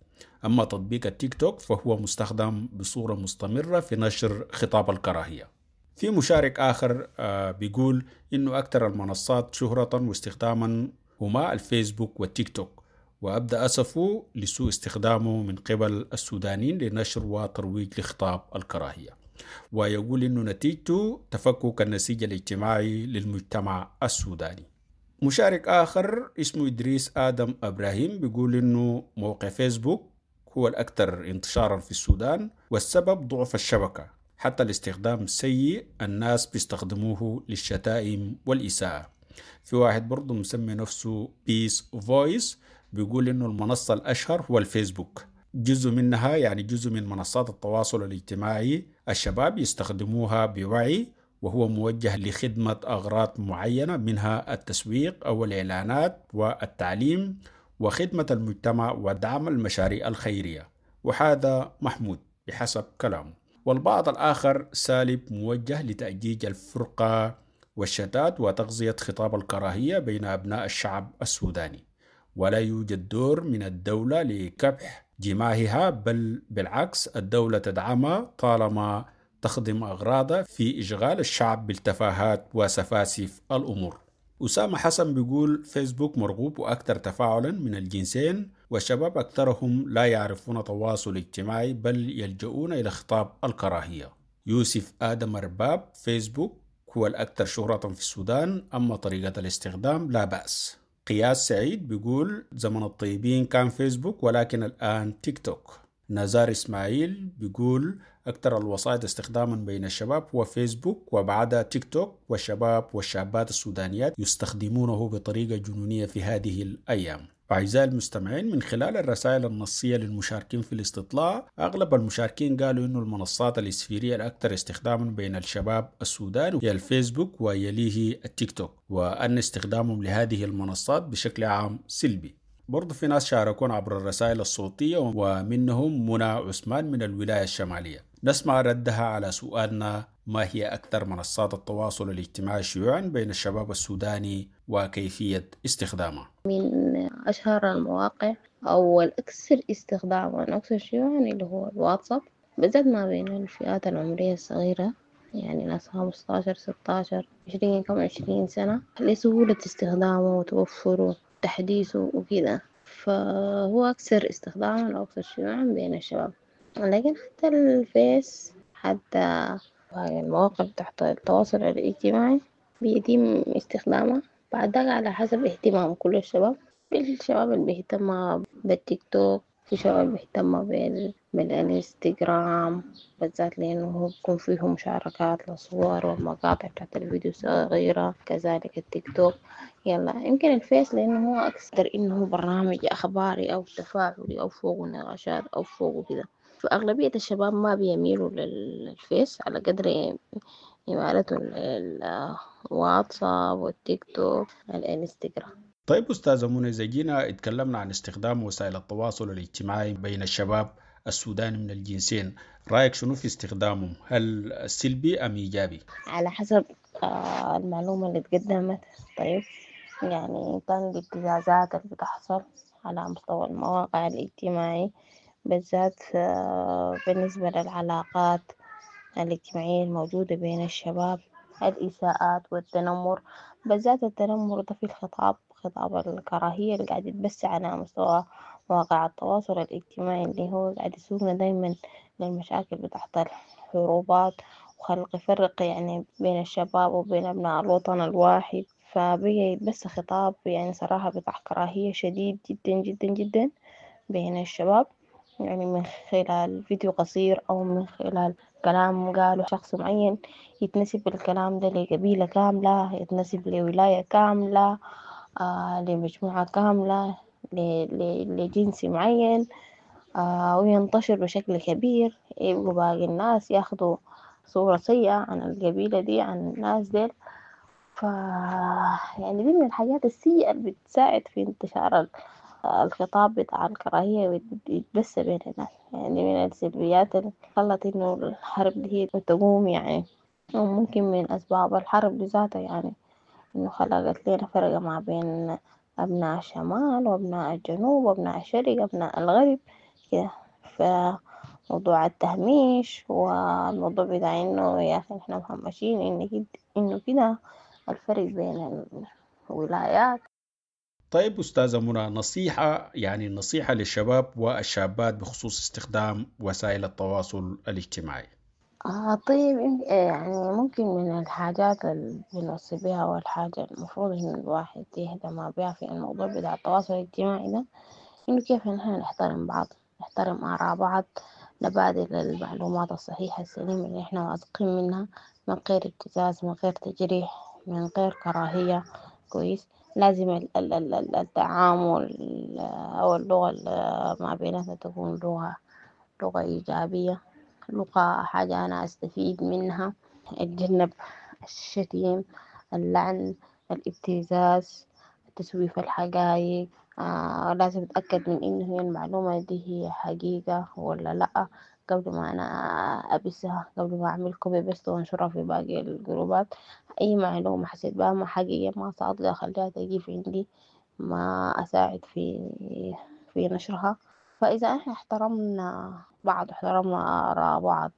أما تطبيق التيك توك فهو مستخدم بصورة مستمرة في نشر خطاب الكراهية. في مشارك آخر بيقول إنه أكثر المنصات شهرة واستخداما هما الفيسبوك والتيك توك، وأبدأ أسفه لسوء استخدامه من قبل السودانيين لنشر وترويج لخطاب الكراهية، ويقول إنه نتيجته تفكك النسيج الاجتماعي للمجتمع السوداني. مشارك آخر اسمه إدريس آدم إبراهيم بيقول إنه موقع فيسبوك هو الأكثر انتشارا في السودان، والسبب ضعف الشبكة، حتى الاستخدام السيء الناس بيستخدموه للشتائم والإساءة. في واحد برضه مسمي نفسه بيس فويس بيقول إنه المنصة الأشهر هو الفيسبوك، جزء منها يعني جزء من منصات التواصل الاجتماعي الشباب يستخدموها بوعي، وهو موجه لخدمة أغراض معينة منها التسويق أو الإعلانات والتعليم وخدمة المجتمع ودعم المشاريع الخيرية، وهذا محمود بحسب كلامه. والبعض الآخر سالب موجه لتأجيج الفرقة والشتات وتغذية خطاب الكراهية بين أبناء الشعب السوداني، ولا يوجد دور من الدولة لكبح جماهها، بل بالعكس الدولة تدعمها طالما تخدم أغراضها في إشغال الشعب بالتفاهات وسفاسف الأمور. أسامة حسن بيقول فيسبوك مرغوب وأكثر تفاعلا من الجنسين، والشباب أكثرهم لا يعرفون تواصل اجتماعي بل يلجؤون إلى خطاب الكراهية. يوسف آدم أرباب فيسبوك هو الأكثر شهرة في السودان، أما طريقة الاستخدام لا بأس. قياس سعيد بيقول زمن الطيبين كان فيسبوك ولكن الآن تيك توك. نزار إسماعيل بيقول أكثر الوسائط استخداما بين الشباب هو فيسبوك وبعدها تيك توك، والشباب والشابات السودانيات يستخدمونه بطريقة جنونية في هذه الأيام. أعزائي المستمعين، من خلال الرسائل النصية للمشاركين في الاستطلاع، أغلب المشاركين قالوا إنه المنصات الإسفيرية الأكثر استخداما بين الشباب السوداني هي الفيسبوك ويليه التيك توك، وأن استخدامهم لهذه المنصات بشكل عام سلبي. برضو في ناس شاركون عبر الرسائل الصوتية، ومنهم منى عثمان من الولاية الشمالية. نسمع ردها على سؤالنا ما هي أكثر منصات التواصل الاجتماعي شيوعا بين الشباب السوداني وكيفية استخدامها. من أشهر المواقع أو الأكثر استخداما أكثر شيوعا اللي هو الواتساب، بالذات ما بين الفئات العمرية الصغيرة. يعني ناس خمستاشر ستاشر عشرين كم عشرين سنة، لسهولة استخدامه وتوفره وتحديثه وكده، فهو أكثر استخداما وأكثر شيوعا بين الشباب. لكن حتى الفيس، حتى باقي المواقع بتاعت التواصل الاجتماعي بيتم استخدامها بعد ذاك على حسب اهتمام كل الشباب. في الشباب اللي بيهتم بالتيك توك، في شباب بيهتم بال-، بالانستغرام بالذات لأنه هو بيكون فيه مشاركات لصور والمقاطع بتاعت الفيديو الصغيرة، كذلك التيك توك. يلا يمكن الفيس لأنه هو أكثر إنه برنامج أخباري أو تفاعلي أو فوق نقاشات أو فوق كده، فأغلبية الشباب ما بيميلوا للفيس على قدر إمالتهم للواتساب والتيك توك الانستغرام. طيب أستاذة منى، إذا جينا اتكلمنا عن استخدام وسائل التواصل الاجتماعي بين الشباب السوداني من الجنسين، رأيك شنو في استخدامهم؟ هل سلبي أم إيجابي؟ على حسب آه، المعلومة اللي اتقدمت. طيب يعني كان الابتزازات اللي بتحصل على مستوى المواقع الاجتماعي بالذات، آه، بالنسبة للعلاقات الاجتماعية الموجودة بين الشباب، الإساءات والتنمر، بالذات التنمر ده في الخطاب، خطاب الكراهية اللي قاعد يتبث على مستوى مواقع التواصل الاجتماعي، اللي هو قاعد يسوقنا دايما للمشاكل بتاعت الحروبات وخلق فرق يعني بين الشباب وبين أبناء الوطن الواحد. فبقى يتبث خطاب يعني صراحة بتاع كراهية شديد جدا جدا جدا بين الشباب، يعني من خلال فيديو قصير أو من خلال كلام قاله شخص معين يتنسب الكلام ده لقبيلة كاملة، يتنسب لولاية كاملة، آه، لمجموعة كاملة، ل-، ل-، لجنس معين، آه، وينتشر بشكل كبير، يبقوا باقي الناس ياخدوا صورة سيئة عن القبيلة دي، عن الناس ديل. ف يعني دي من الحاجات السيئة اللي بتساعد في انتشار ال-، الخطاب بتاع الكراهية ويتبث بين الناس. يعني من السلبيات اللي خلت إنه الحرب دي تقوم، يعني وممكن من أسباب الحرب بذاتها يعني إنه خلقت لنا فرقة ما بين أبناء الشمال وأبناء الجنوب وأبناء الشرق وأبناء الغرب كده. فموضوع التهميش والموضوع بتاع إنه يا أخي إحنا مهمشين، إن كد-، إنه كده الفرق بين الولايات. طيب أستاذة منى، نصيحة يعني نصيحة للشباب والشابات بخصوص استخدام وسائل التواصل الاجتماعي. آه طيب، إن-، يعني ممكن من الحاجات اللي بنوصي بها والحاجة المفروض إنه الواحد يهتم بها في الموضوع بتاع التواصل الاجتماعي ده، إنه كيف نحن نحترم بعض، نحترم آراء بعض، نبادل المعلومات الصحيحة السليمة اللي إحنا واثقين منها، من غير ابتزاز، من غير تجريح، من غير كراهية. كويس، لازم ال-، ال-، ال-، ال-، التعامل أو اللغة ال-، ما بيناتنا تكون لغة، لغة إيجابية، لغة حاجة أنا أستفيد منها. أتجنب الشتيم، اللعن، الابتزاز، تسويف الحقائق. آه، لازم أتأكد من إنه هي المعلومة دي هي حقيقة ولا لأ قبل ما أنا أبثها، قبل ما أعمل copy paste وأنشرها في باقي الجروبات. أي معلومة حسيت بها ما حقيقية ما صادقة أخليها تجي عندي، ما أساعد في، في نشرها. فإذا إحنا احترمنا بعض واحترمنا آراء بعض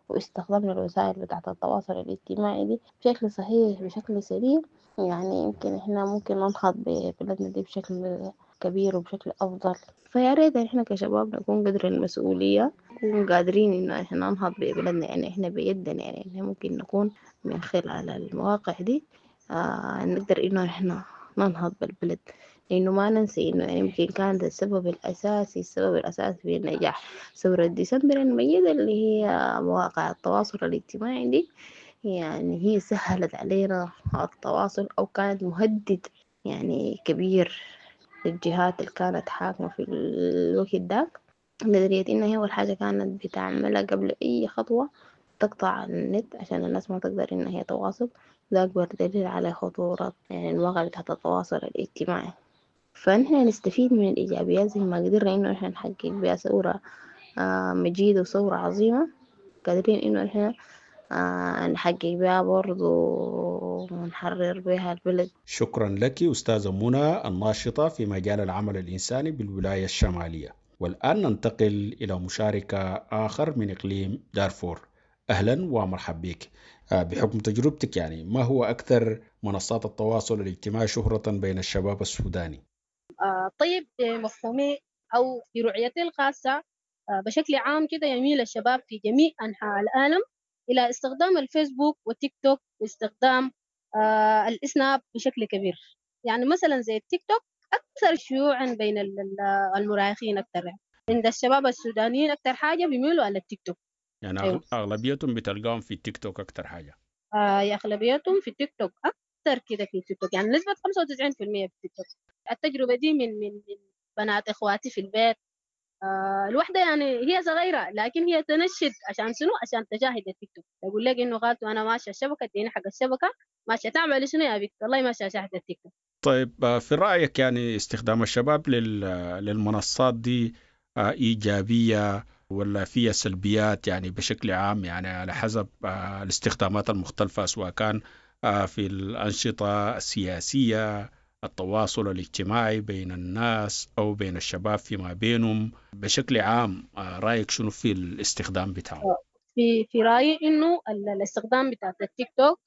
واستخدمنا الوسائل بتاعة التواصل الاجتماعي دي بشكل صحيح بشكل سليم، يعني يمكن إحنا ممكن ننهض ببلدنا دي بشكل كبير وبشكل أفضل. فيا ريت إحنا كشباب نكون قدر المسؤولية، نكون قادرين إنه إحنا ننهض ببلدنا، يعني إحنا بيدنا، يعني إحنا ممكن نكون من خلال المواقع دي، آه، نقدر إنه إحنا ننهض بالبلد. لأنه ما ننسى إنه يعني يمكن كانت السبب الأساسي، السبب الأساسي في النجاح ثورة ديسمبر المجيدة اللي هي مواقع التواصل الاجتماعي دي، يعني هي سهلت علينا التواصل أو كانت مهدد يعني كبير للجهات اللي كانت حاكمة في الوقت داك، لدرجة إنها هي أول حاجة كانت بتعملها قبل أي خطوة تقطع النت عشان الناس ما تقدر إنها هي تواصل. ده أكبر دليل على خطورة يعني المواقع بتاعت التواصل الاجتماعي. فنحن نستفيد من الإيجابيات زي ما قدرنا إنه إحنا نحقق بها ثورة، آه، مجيدة وثورة عظيمة، قادرين إنه إحنا، آه، نحقق بها برضو ونحرر بها البلد. شكرا لك أستاذة منى الناشطة في مجال العمل الإنساني بالولاية الشمالية. والآن ننتقل إلى مشاركة آخر من إقليم دارفور. أهلا ومرحب بك. بحكم تجربتك يعني ما هو أكثر منصات التواصل الاجتماعي شهرة بين الشباب السوداني؟ آه طيب، مفهومي أو في رؤيتي الخاصة آه بشكل عام كده يميل الشباب في جميع أنحاء العالم إلى استخدام الفيسبوك والتيك توك واستخدام آه الإسناب بشكل كبير. يعني مثلا زي التيك توك أكثر شيوعا بين المراهقين أكثر، عند الشباب السودانيين أكثر حاجة بيميلوا على التيك توك. يعني أيوة. أغلبيتهم بتلقاهم في التيك توك أكثر حاجة. آه أغلبيتهم في التيك توك أكثر كده في التيك توك، يعني نسبة خمسة وتسعين بالمية في التيك توك. التجربة دي من من من بنات إخواتي في البيت. آه الوحدة يعني هي صغيرة لكن هي تنشد عشان شنو؟ عشان تجاهد التيك توك. يقول لك إنه خالته أنا ماشية الشبكة، اديني حق الشبكة، ماشية تعمل شنو يا بنت؟ والله ماشية أشاهد التيك توك. طيب، في رأيك يعني استخدام الشباب للمنصات دي إيجابية ولا فيها سلبيات يعني بشكل عام، يعني على حسب الاستخدامات المختلفة سواء كان في الأنشطة السياسية، التواصل الاجتماعي بين الناس أو بين الشباب فيما بينهم بشكل عام، رأيك شنو في الاستخدام بتاعه؟ في في رأيي إنه الاستخدام بتاع التيك توك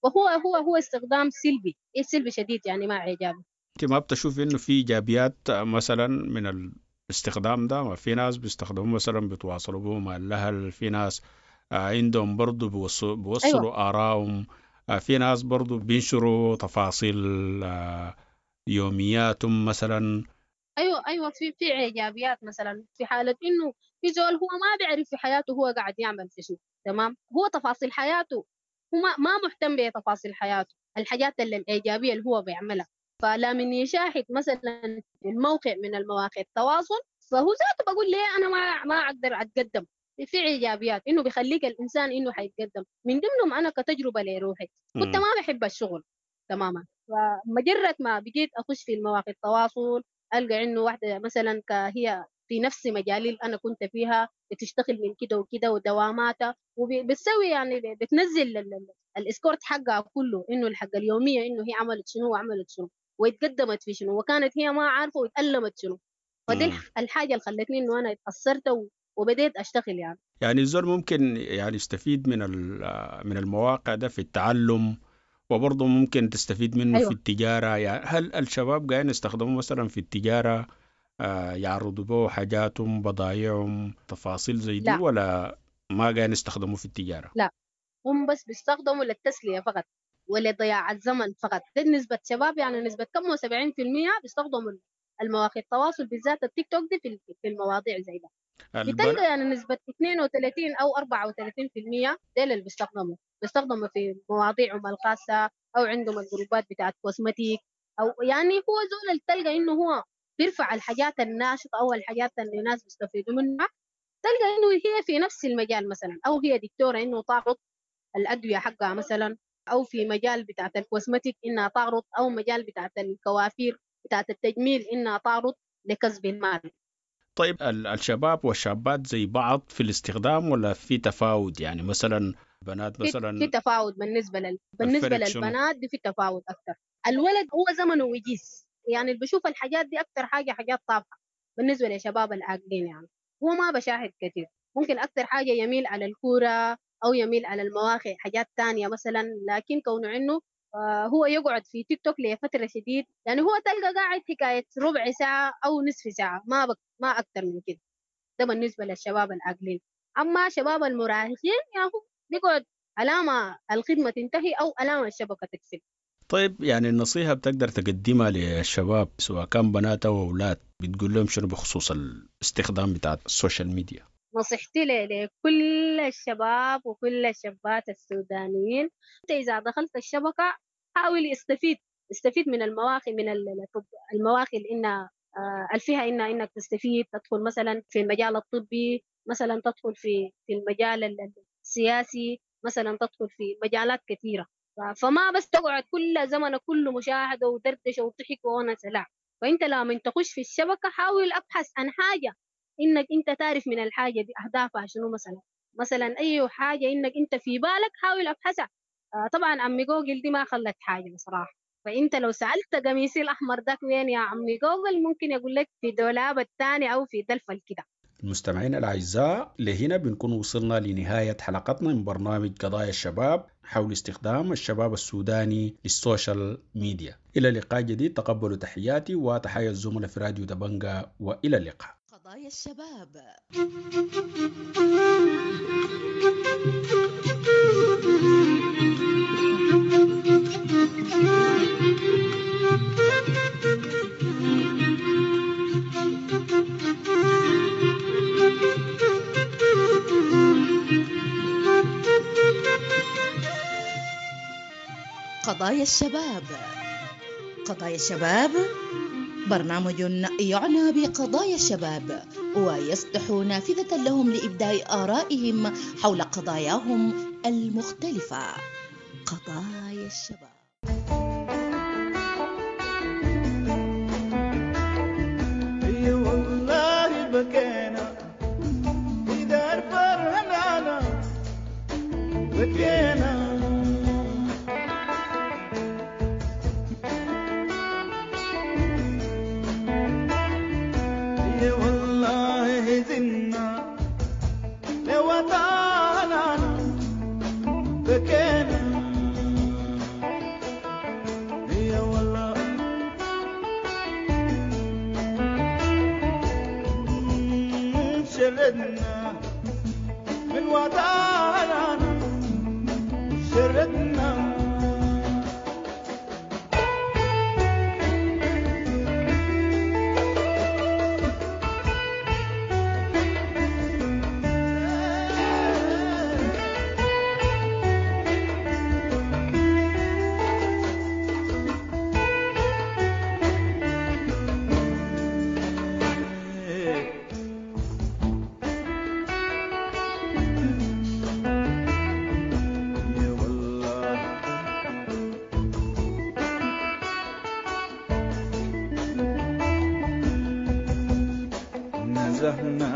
وهو هو هو استخدام سلبي، سلبي شديد يعني ما إيجابي. أنت ما بتشوف إنه في إيجابيات مثلا من الاستخدام ده؟ ما في ناس بيستخدموه مثلا بيتواصلوا به مع الأهل، في ناس عندهم برضو بيوصلوا أيوة. آرائهم، في ناس برضو بينشروا تفاصيل يومياتهم مثلا. أيوة أيوة في في إيجابيات مثلا في حالة إنه في زول هو ما بيعرف في حياته هو قاعد يعمل في شنو، تمام؟ هو تفاصيل حياته هو ما ما مهتم بتفاصيل حياته، الحاجات اللي الإيجابية اللي هو بيعملها. فلا من يشاهد مثلا الموقع من المواقع التواصل فهو ذاته بقول ليه أنا ما ما أقدر أتقدم. في إيجابيات إنه بيخليك الإنسان إنه حيتقدم. من ضمنهم أنا كتجربة لروحي كنت ما بحب الشغل تماما، فمجرد ما بقيت أخش في المواقع التواصل ألقى إنه واحدة مثلا هي في نفس مجالي اللي أنا كنت فيها بتشتغل من كده وكده ودواماتها وبتسوي يعني بتنزل الإسكورت حقها كله إنه الحق اليومية إنه هي عملت شنو وعملت شنو واتقدمت في شنو وكانت هي ما عارفة واتألمت شنو. فدي الحاجة اللي خلتني إنه أنا اتأثرت وبديت أشتغل. يعني يعني الزول ممكن يعني يستفيد من من المواقع ده في التعلم، وبرضه ممكن تستفيد منه أيوة. في التجارة. يعني هل الشباب قاعدين يستخدموه مثلا في التجارة، آه يعرضوا به حاجاتهم بضايعهم تفاصيل زي دي، ولا ما قاعدين يستخدموه في التجارة؟ لا، هم بس بيستخدموا للتسلية فقط ولضياع الزمن فقط. ده نسبة شباب يعني نسبة كم سبعين في المية بيستخدموا المواقع التواصل بالذات التيك توك دي في في المواضيع زي ده. بتلقى يعني نسبة اثنين وثلاثين أو أربعة وثلاثين في المية ديل اللي بيستخدموا بيستخدموا في مواضيعهم الخاصة أو عندهم الجروبات بتاعت cosmetic، أو يعني هو زول اللي تلقى إنه هو بيرفع الحاجات الناشطة أو الحاجات اللي الناس بيستفيدوا منها. تلقى إنه هي في نفس المجال مثلا، أو هي دكتورة إنه تعرض الأدوية حقها مثلا، أو في مجال بتاعت ال cosmetic إنها تعرض، أو مجال بتاعت الكوافير بتاعت التجميل إنها تعرض لكسب المال. طيب، الشباب والشابات زي بعض في الاستخدام ولا في تفاوت؟ يعني مثلا بنات مثلا في تفاوت بالنسبة لل... بالنسبة للبنات دي في تفاوت أكثر. الولد هو زمنه وجيز، يعني اللي بشوف الحاجات دي أكثر حاجة حاجات طافحة بالنسبة لشباب العاقلين. يعني هو ما بشاهد كثير، ممكن أكثر حاجة يميل على الكورة أو يميل على المواقع حاجات تانية مثلا، لكن كونه إنه هو يقعد في تيك توك لفترة شديد، يعني هو تلقى قاعد حكاية ربع ساعة أو نصف ساعة، ما بك ما أكثر من كده. ده بالنسبة للشباب العاقلين. أما شباب المراهقين يعني هو بيقعد علامة الخدمة تنتهي أو علامة الشبكة تقفل. طيب، يعني النصيحة بتقدر تقدمها للشباب سواء كان بنات أو أولاد، بتقول لهم شنو بخصوص الاستخدام بتاع ال social media؟ نصيحتي لكل الشباب وكل الشابات السودانيين، أنت إذا دخلت الشبكة حاول استفيد استفيد من المواقع، من المواقع اللي إنها فيها إنها إنك تستفيد، تدخل مثلا في المجال الطبي، مثلا تدخل في في المجال السياسي، مثلا تدخل في مجالات كثيرة. فما بس تقعد كل زمنك كله مشاهدة ودردشة وضحك وونس، لا. فأنت لما تخش في الشبكة حاول أبحث عن حاجة إنك أنت تعرف من الحاجة دي أهدافها شنو، مثلا مثلا أي حاجة إنك أنت في بالك حاول أبحثها. آه طبعا عمي جوجل دي ما خلت حاجة بصراحة، فأنت لو سألت قميصي الأحمر ده وين يا عمي جوجل ممكن يقول لك في دولاب الثاني أو في دلفل كده. المستمعين الأعزاء، لهنا بنكون وصلنا لنهاية حلقتنا من برنامج قضايا الشباب حول استخدام الشباب السوداني للسوشيال ميديا. إلى لقاء جديد، تقبلوا تحياتي وتحيا الزملاء في راديو دبنجا، وإلى اللقاء. قضايا الشباب. قضايا الشباب. قضايا الشباب برنامج يعنى بقضايا الشباب ويفتح نافذة لهم لإبداء آرائهم حول قضاياهم المختلفة. قضايا الشباب. اي والله بكينا في دار فرهنانا بكينا. اي والله هزنا لوطننا بكينا. اي والله شردنا من وطننا شردنا. يا والله نزهنا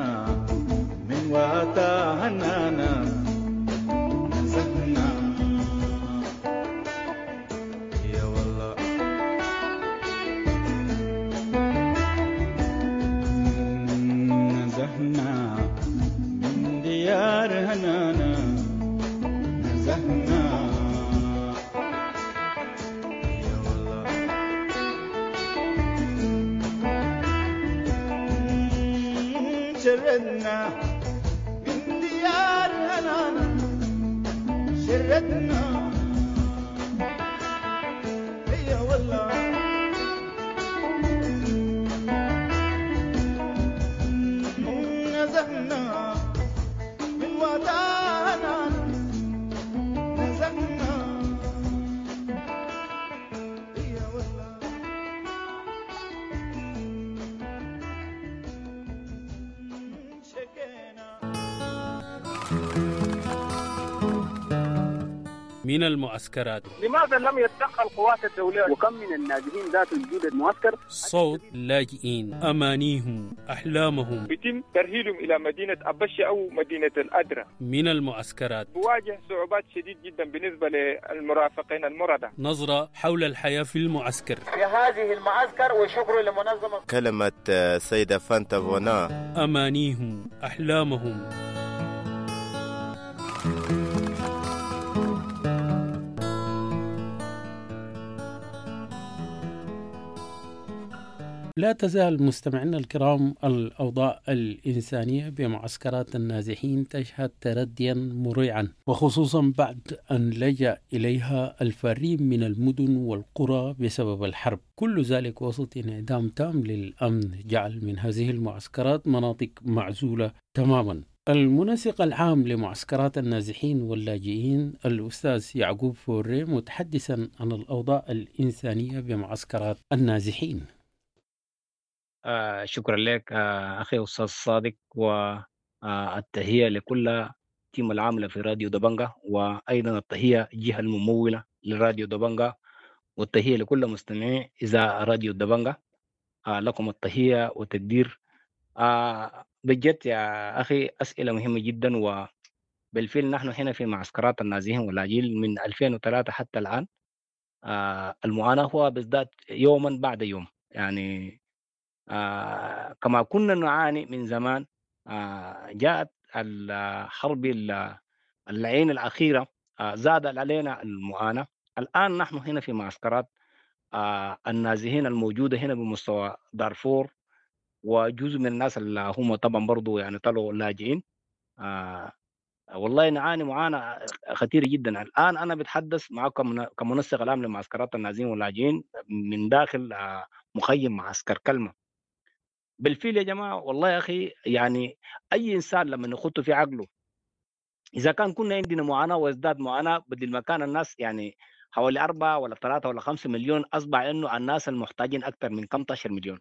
من وطننا نزهنا. يا والله نزهنا من ديار هنانا نزهنا. يا والله شردنا من ديار هنانا شردنا. يا والله نزهنا من وطننا نزهنا. يا والله شكينا. من المعسكرات. لماذا لم يتدخل قوات الدولية؟ وكم من النازحين ذات وجود المعسكر؟ صوت اللاجئين، أمانيهم، أحلامهم. يتم ترحيلهم إلى مدينة أبشي أو مدينة الأدرة. من المعسكرات بواجه صعوبات شديد جدا بالنسبة للمرافقين المرضى. نظرة حول الحياة في المعسكر. في هذه المعسكر وشكر لمنظمة. كلمة السيدة فانتا فونا. أمانيهم، أحلامهم. لا تزال مستمعينا الكرام الأوضاع الإنسانية بمعسكرات النازحين تشهد ترديا مريعا، وخصوصا بعد أن لجأ إليها الفارين من المدن والقرى بسبب الحرب. كل ذلك وسط انعدام تام للأمن جعل من هذه المعسكرات مناطق معزولة تماما. المنسق العام لمعسكرات النازحين واللاجئين الأستاذ يعقوب فوري متحدثا عن الأوضاع الإنسانية بمعسكرات النازحين. آه شكرا لك آه أخي أستاذ صادق، والتحية لكل team العاملة في راديو دبنجا، وأيضا التحية الجهة الممولة لراديو دبنجا، والتحية لكل مستمعي إذاعة راديو دبنجا. آه لكم التحية والتقدير. آه بجد يا أخي أسئلة مهمة جدا، وبالفعل نحن هنا في معسكرات النازحين واللاجئين من ألفين وثلاثة حتى الآن آه المعاناة هو بيزداد يوما بعد يوم. يعني آه كما كنا نعاني من زمان آه جاءت الحرب اللعين الأخيرة، آه زاد علينا المعاناة. الآن نحن هنا في معسكرات آه النازحين الموجودة هنا بمستوى دارفور، وجزء من الناس اللي هم طبعا برضو يعني طلعوا لاجئين. آه والله نعاني معاناة خطيرة جدا. الآن أنا بتحدث معكم كمنسق العام لمعسكرات النازحين واللاجئين من داخل آه مخيم معسكر كلمة. بالفعل يا جماعة والله يا أخي، يعني أي إنسان لما نخطه في عقله، إذا كان كنا عندنا معاناة وازداد معاناة، بدل ما كان الناس يعني حوالي أربعة ولا ثلاثة ولا خمسة مليون، أصبح إنه الناس المحتاجين أكثر من خمسة عشر مليون.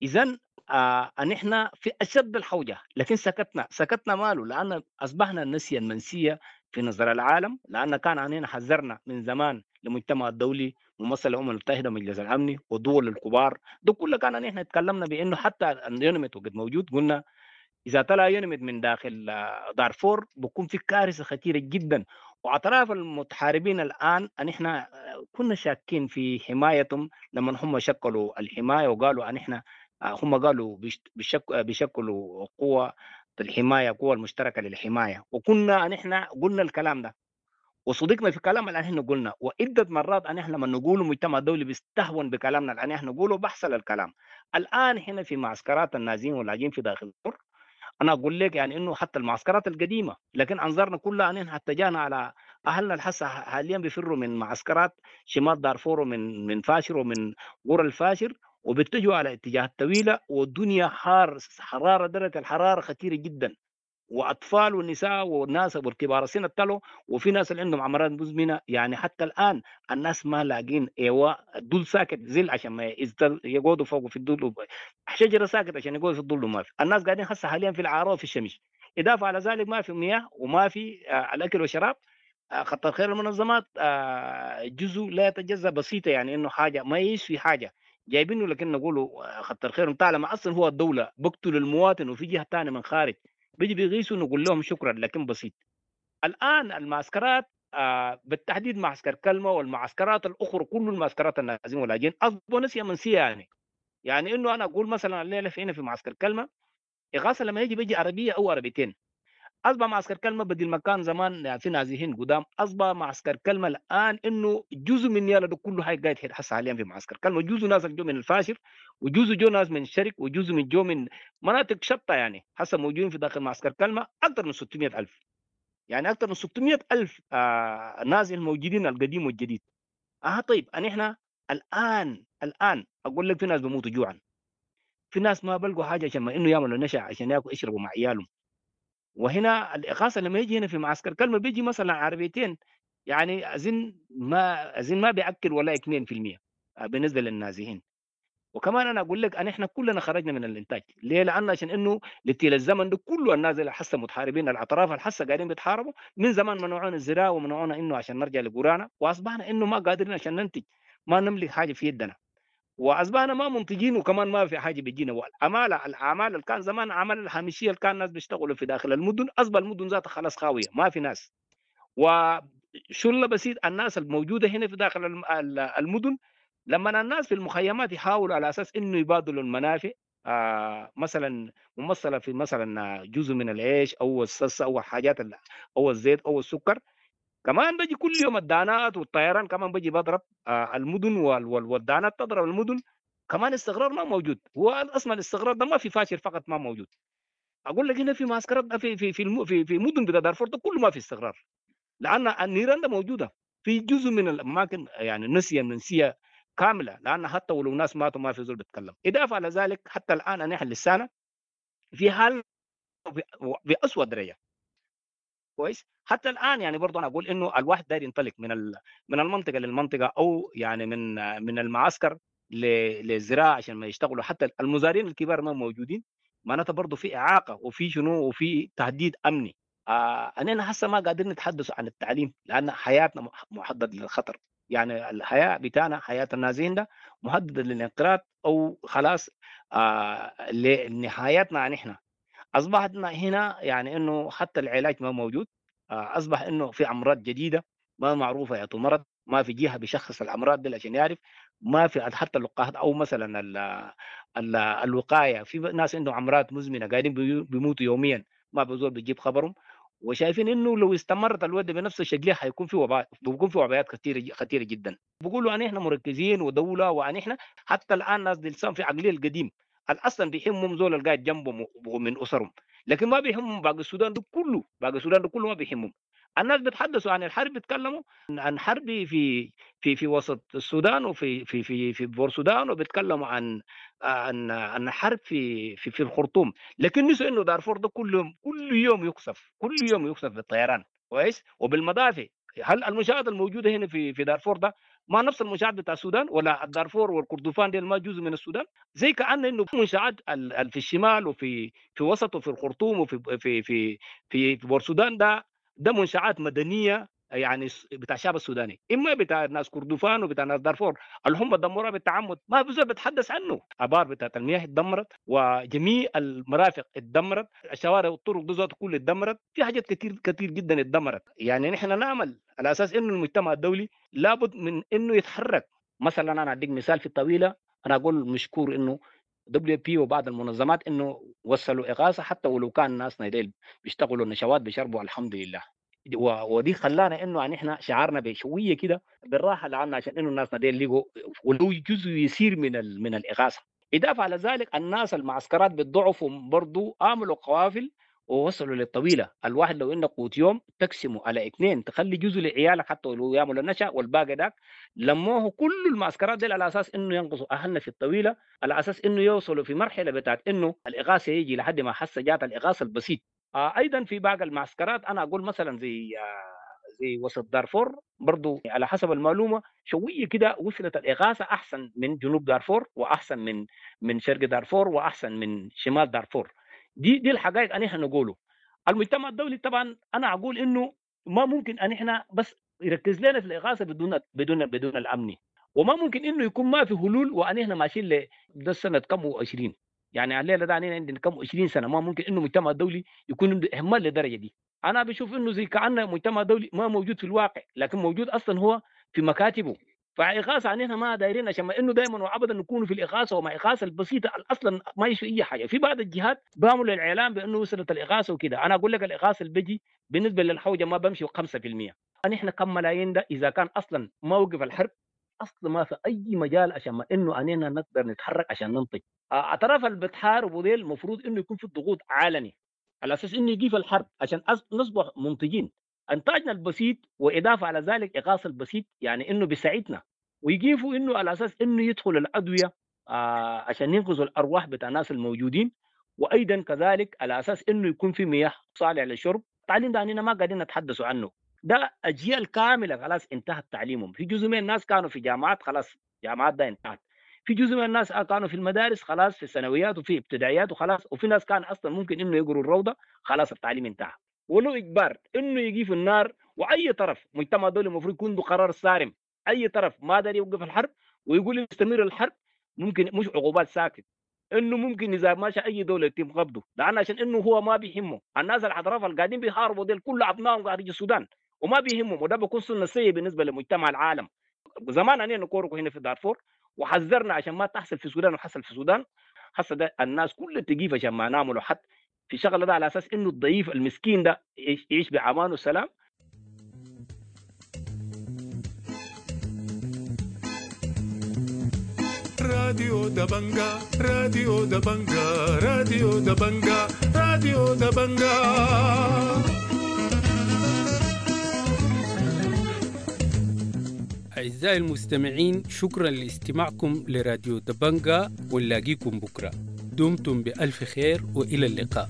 إذن آه نحن في أشد الحوجة، لكن سكتنا. سكتنا ماله؟ لأن أصبحنا النسية المنسية في نظر العالم، لأن كان علينا حذرنا من زمان للمجتمع الدولي ممثل الأمم المتحدة ومجلس الأمن والدول الكبار، ده كله كان نحن تكلمنا بأنه حتى اليونميت وقد موجود، قلنا إذا طلع يونميت من داخل دارفور بكون في كارثة خطيرة جدا. وأطراف المتحاربين الآن نحن كنا شاكين في حمايتهم لما هم شكلوا الحماية وقالوا أن إحنا هم قالوا بيشكلوا قوة الحماية، قوة المشتركة للحماية، وكنا نحن قلنا الكلام ده وصدقنا في كلام اللي احنا قلنا. وعدة مرات ان احنا لما نقول المجتمع الدولي بيستهون بكلامنا اللي احنا نقوله، بحصل الكلام. الان هنا في معسكرات النازحين واللاجئين في داخل الدور، انا اقول لك يعني انه حتى المعسكرات القديمة، لكن انظارنا كلها ان احنا اتجهنا على اهلنا الحسه حاليا بيفروا من معسكرات شمال دارفور ومن من فاشر ومن قرى الفاشر، وبيتجهوا على اتجاه الطويلة، والدنيا حار، حرارة، درجه الحرارة خطيرة جدا، واطفال ونساء وناس والكبار السن ابتلوا، وفي ناس اللي عندهم امراض مزمنة. يعني حتى الان الناس ما لاقين ايواء، الدول ساكت زل عشان ما يقعدوا فوق في الدول، شجرة ساكت عشان يقعدوا في الظل، ما في. الناس قاعدين هسه حاليا في العراء وفي الشمس. اضافه على ذلك ما في مياه وما في الاكل والشراب. خطر خير المنظمات جزء لا يتجزا بسيطة، يعني انه حاجة ما يسوي حاجة جايبينه، لكن نقوله خطر خير طالما اصلا هو الدولة بقتل المواطن، وفي جهة ثانية من خارج بيجي بيغيثوا نقول لهم شكرا، لكن بسيط. الان المعسكرات آه بالتحديد معسكر كلمة والمعسكرات الاخرى، كل المعسكرات النازحين واللاجئين اصبحوا نسيه منسية. يعني يعني انه انا اقول مثلا الليلة في هنا في معسكر كلمة اغاثه لما يجي بيجي عربية او عربيتين. اصبح معسكر كلمة بدل ما كان زمان يعني في نازحين قدام، اصبح معسكر كلمة الان انه جزء من يالا ده كله هاي قاعد يحس حاليا في معسكر كلمة، جزء ناس جو من الفاشر، وجزء جو ناس من الشرق، وجزء من جو من مناطق شتى، يعني هسه موجودين في داخل معسكر كلمة اكثر من ستمائة ألف، يعني اكثر من ستمائة ألف آه نازح موجودين القديم والجديد. اه طيب ان احنا الان الان اقول لك في ناس بيموتوا جوعا، في ناس ما بلقوا حاجة عشان ما انه يعملوا نشا عشان ياكلوا يشربوا مع عيالهم. وهنا الإغاثة لما يجي هنا في معسكر كلمة بيجي مثلا عربيتين، يعني أظن ما أظن ما بيأكل ولا اثنين بالمئة بالنسبة للنازحين. وكمان أنا أقول لك أن إحنا كلنا خرجنا من الإنتاج، ليه؟ لأن عشان إنه لتيل الزمن ده كله الناس اللي حسه متحاربين، الأطراف الحسه قاعدين بيتحاربوا من زمان، منعونا الزراعة ومنعونا إنه عشان نرجع لقرانا، وأصبحنا إنه ما قادرين عشان ننتج، ما نملك حاجة في يدنا، واصبحنا ما منتجين، وكمان ما في حاجة بيجينا. والعماله الاعمال اللي كان زمان عمل الهامشيه اللي كان الناس بيشتغلوا في داخل المدن، اصبح المدن ذاتها خلاص خاوية، ما في ناس. وشله بسيط الناس الموجودة هنا في داخل المدن، لما الناس في المخيمات يحاولوا على اساس انه يبادلوا المنافع، آه مثلا ممثلة في مثلا جزء من العيش او الصلصه او حاجات او الزيت او السكر، كمان بيجي كل يوم الدانات والطيران كمان بيجي بضرب آه المدن والدانات تضرب المدن. كمان استقرار ما موجود، هو اصلا الاستقرار ده ما في فاشل فقط ما موجود. اقول لك هنا في معسكرات في في في في, في مدن بتاع دارفور ده كله ما في استقرار، لان النيران ده موجودة في جزء من الاماكن، يعني نسيه منسية كاملة، لان حتى ولو ناس ماتوا ما في زول بيتكلم. اضافه على ذلك حتى الان نحن لسانا في حال بأسوأ درجه. كويس، حتى الان يعني برضه انا اقول انه الواحد داير ينطلق من من المنطقة للمنطقة، او يعني من من المعسكر للزراعة عشان ما يشتغلوا، حتى المزارعين الكبار ما موجودين، معناتها برضه في اعاقه وفي شنو وفي تهديد امني. آه اننا هسه ما قادرين نتحدث عن التعليم لان حياتنا محدد للخطر، يعني الحياة بتاعنا حياة النازحين ده مهددة للانقراض او خلاص آه لنهايتنا. نحن اصبحتنا هنا يعني انه حتى العلاج ما موجود، اصبح انه في امراض جديدة ما معروفة يا مرض، ما في جهة بيشخص الامراض دي عشان يعرف، ما في حتى اللقاحات او مثلا ال ال الوقاية. في ناس عندهم امراض مزمنة قاعدين بيموتوا يوميا، ما بزول بيجيب خبرهم، وشايفين انه لو استمرت الوضع بنفس الشكل حيكون في وباء، بيكون في وبيات كثيرة خطيرة جدا. بيقولوا ان احنا مركزين ودولة، وان احنا حتى الان ناس دي في عقلية القديم اصلا بيهمهم زول القاعد جنبهم ومن اسرهم، لكن ما بيهمهم باقي السودان ده كله، باقي السودان ده كله ما بيهمهم. الناس بيتحدثوا عن الحرب، بيتكلموا عن حرب في في في وسط السودان وفي في في في بور السودان، وبيتكلموا عن عن عن حرب في في في الخرطوم، لكن نسوا انه دارفور ده كل يوم كل يوم يقصف، كل يوم يقصف بالطيران كويس وبالمدافع. هل المنشآت الموجودة هنا في في دارفور ده ما نفس المنشآت بتاع السودان؟ ولا الدارفور والكردفان دي ما جزء من السودان؟ زي كأن انه منشآت في الشمال وفي في وسط وفي الخرطوم وفي في في في بور السودان ده ده منشآت مدنية يعني بتاع الشعب السوداني، اما بتاع ناس كردفان وبتاع ناس دارفور اللي هم دمروها بالتعمد ما بزول بتحدث عنه. ابار بتاعت المياه اتدمرت، وجميع المرافق اتدمرت، الشوارع والطرق دي ذات كلها اتدمرت، في حاجات كثير كثير جدا اتدمرت. يعني نحن نعمل على اساس انه المجتمع الدولي لابد من انه يتحرك. مثلا انا اديك مثال في الطويلة، انا اقول مشكور انه WFP وبعض المنظمات انه وصلوا اغاثه، حتى ولو كان ناسنا ديل بيشتغلوا النشوات بيشربوا الحمد لله. ودي خلانا انه يعني احنا شعارنا بشوية كده بالراحة لعنا عشان انه الناس ديل لقوا ولو جزء يسير من من الاغاثة. اضافه على ذلك الناس المعسكرات بالضعف برضو عملوا قوافل ووصلوا للطويله. الواحد لو انه قوت يوم تقسمه على اثنين، تخلي جزء لعيالك حتى لو يعملوا النشا، والباقي داك لموه كل المعسكرات دي على اساس انه ينقصوا اهلنا في الطويلة، على اساس انه يوصلوا في مرحلة بتاعت انه الاغاثة يجي لحد ما حس جات الاغاثة البسيط. آه ايضا في باقي المعسكرات انا اقول مثلا زي آه زي وسط دارفور برضو على حسب المعلومة شوية كده وصلت الاغاثة احسن من جنوب دارفور، واحسن من من شرق دارفور، واحسن من شمال دارفور. دي دي الحقائق ان احنا نقوله. المجتمع الدولي طبعا انا اقول انه ما ممكن ان احنا بس يركز لنا في الاغاثة بدون بدون بدون الامني، وما ممكن انه يكون ما في حلول وان احنا ماشيين ل ده سنة كم وعشرين، يعني الليلة ده عندنا كم عشرين سنة. ما ممكن انه المجتمع الدولي يكون عنده اهمال للدرجة دي. انا بشوف انه زي كانه مجتمع دولي ما موجود في الواقع، لكن موجود اصلا هو في مكاتبه. فاغاثه عننا ما دايرين عشان ما انه دائما وابدا نكون في الاغاثة، ومع اغاثه البسيطة اصلا ما يشوي اي حاجة. في بعض الجهات بيعملوا الاعلان بانه وصلت الاغاثة وكده، انا اقول لك الاغاثة اللي بيجي بالنسبة للحوجه ما بمشي خمسة بالمئة. نحن كم ملايين ده اذا كان اصلا ما وقف الحرب اصلا ما في اي مجال عشان ما انه اننا نقدر نتحرك عشان ننتج. اطراف اللي بتحاربوا ديل المفروض انه يكون في ضغوط عالمي على اساس انه يجي في الحرب عشان نصبح منتجين. انتاجنا البسيط واضافه على ذلك اغاثه البسيط، يعني انه بيساعدنا ويجيفوا انه على اساس انه يدخل الادوية آه عشان ينقذوا الارواح بتاع الناس الموجودين، وايضا كذلك على اساس انه يكون في مياه صالحه للشرب. التعليم ده اننا ما قاعدين نتحدثوا عنه، ده اجيال كاملة خلاص انتهت تعليمهم. في جزء من الناس كانوا في جامعات خلاص جامعات ده انتهت، في جزء من الناس كانوا في المدارس خلاص في الثانويات وفي ابتدائيات وخلاص، وفي ناس كان اصلا ممكن انه يقروا الروضة خلاص التعليم انتهى. ولو اجبار انه يجي في النار، واي طرف مجتمع دولي المفروض يكون عنده قرار صارم، اي طرف ما داري يوقف الحرب ويقول يستمر الحرب ممكن مش عقوبات ساكت، انه ممكن اذا ماشى اي دولة يتم قبضه، لان عشان انه هو ما بيهمه الناس الاطراف اللي قاعدين بيحاربوا ديل كل ابنائهم قاعدين في السودان وما بيهمهم، وده بيكون سنة سيئه بالنسبة لمجتمع العالم. زمان انا نكوركو هنا في دارفور وحذرنا عشان ما تحصل في السودان، وحصل في السودان. حصل ده الناس كلها تجيف عشان ما نعملوا حد في شغله ده على اساس انه الضعيف المسكين ده يعيش بامان وسلام. راديو دبنجا، راديو دبنجا، راديو دبنجا، راديو دبنجا. أعزائي المستمعين، شكرا لاستماعكم لراديو دبنجا، ونلاقيكم بكرة. دمتم بألف خير وإلى اللقاء.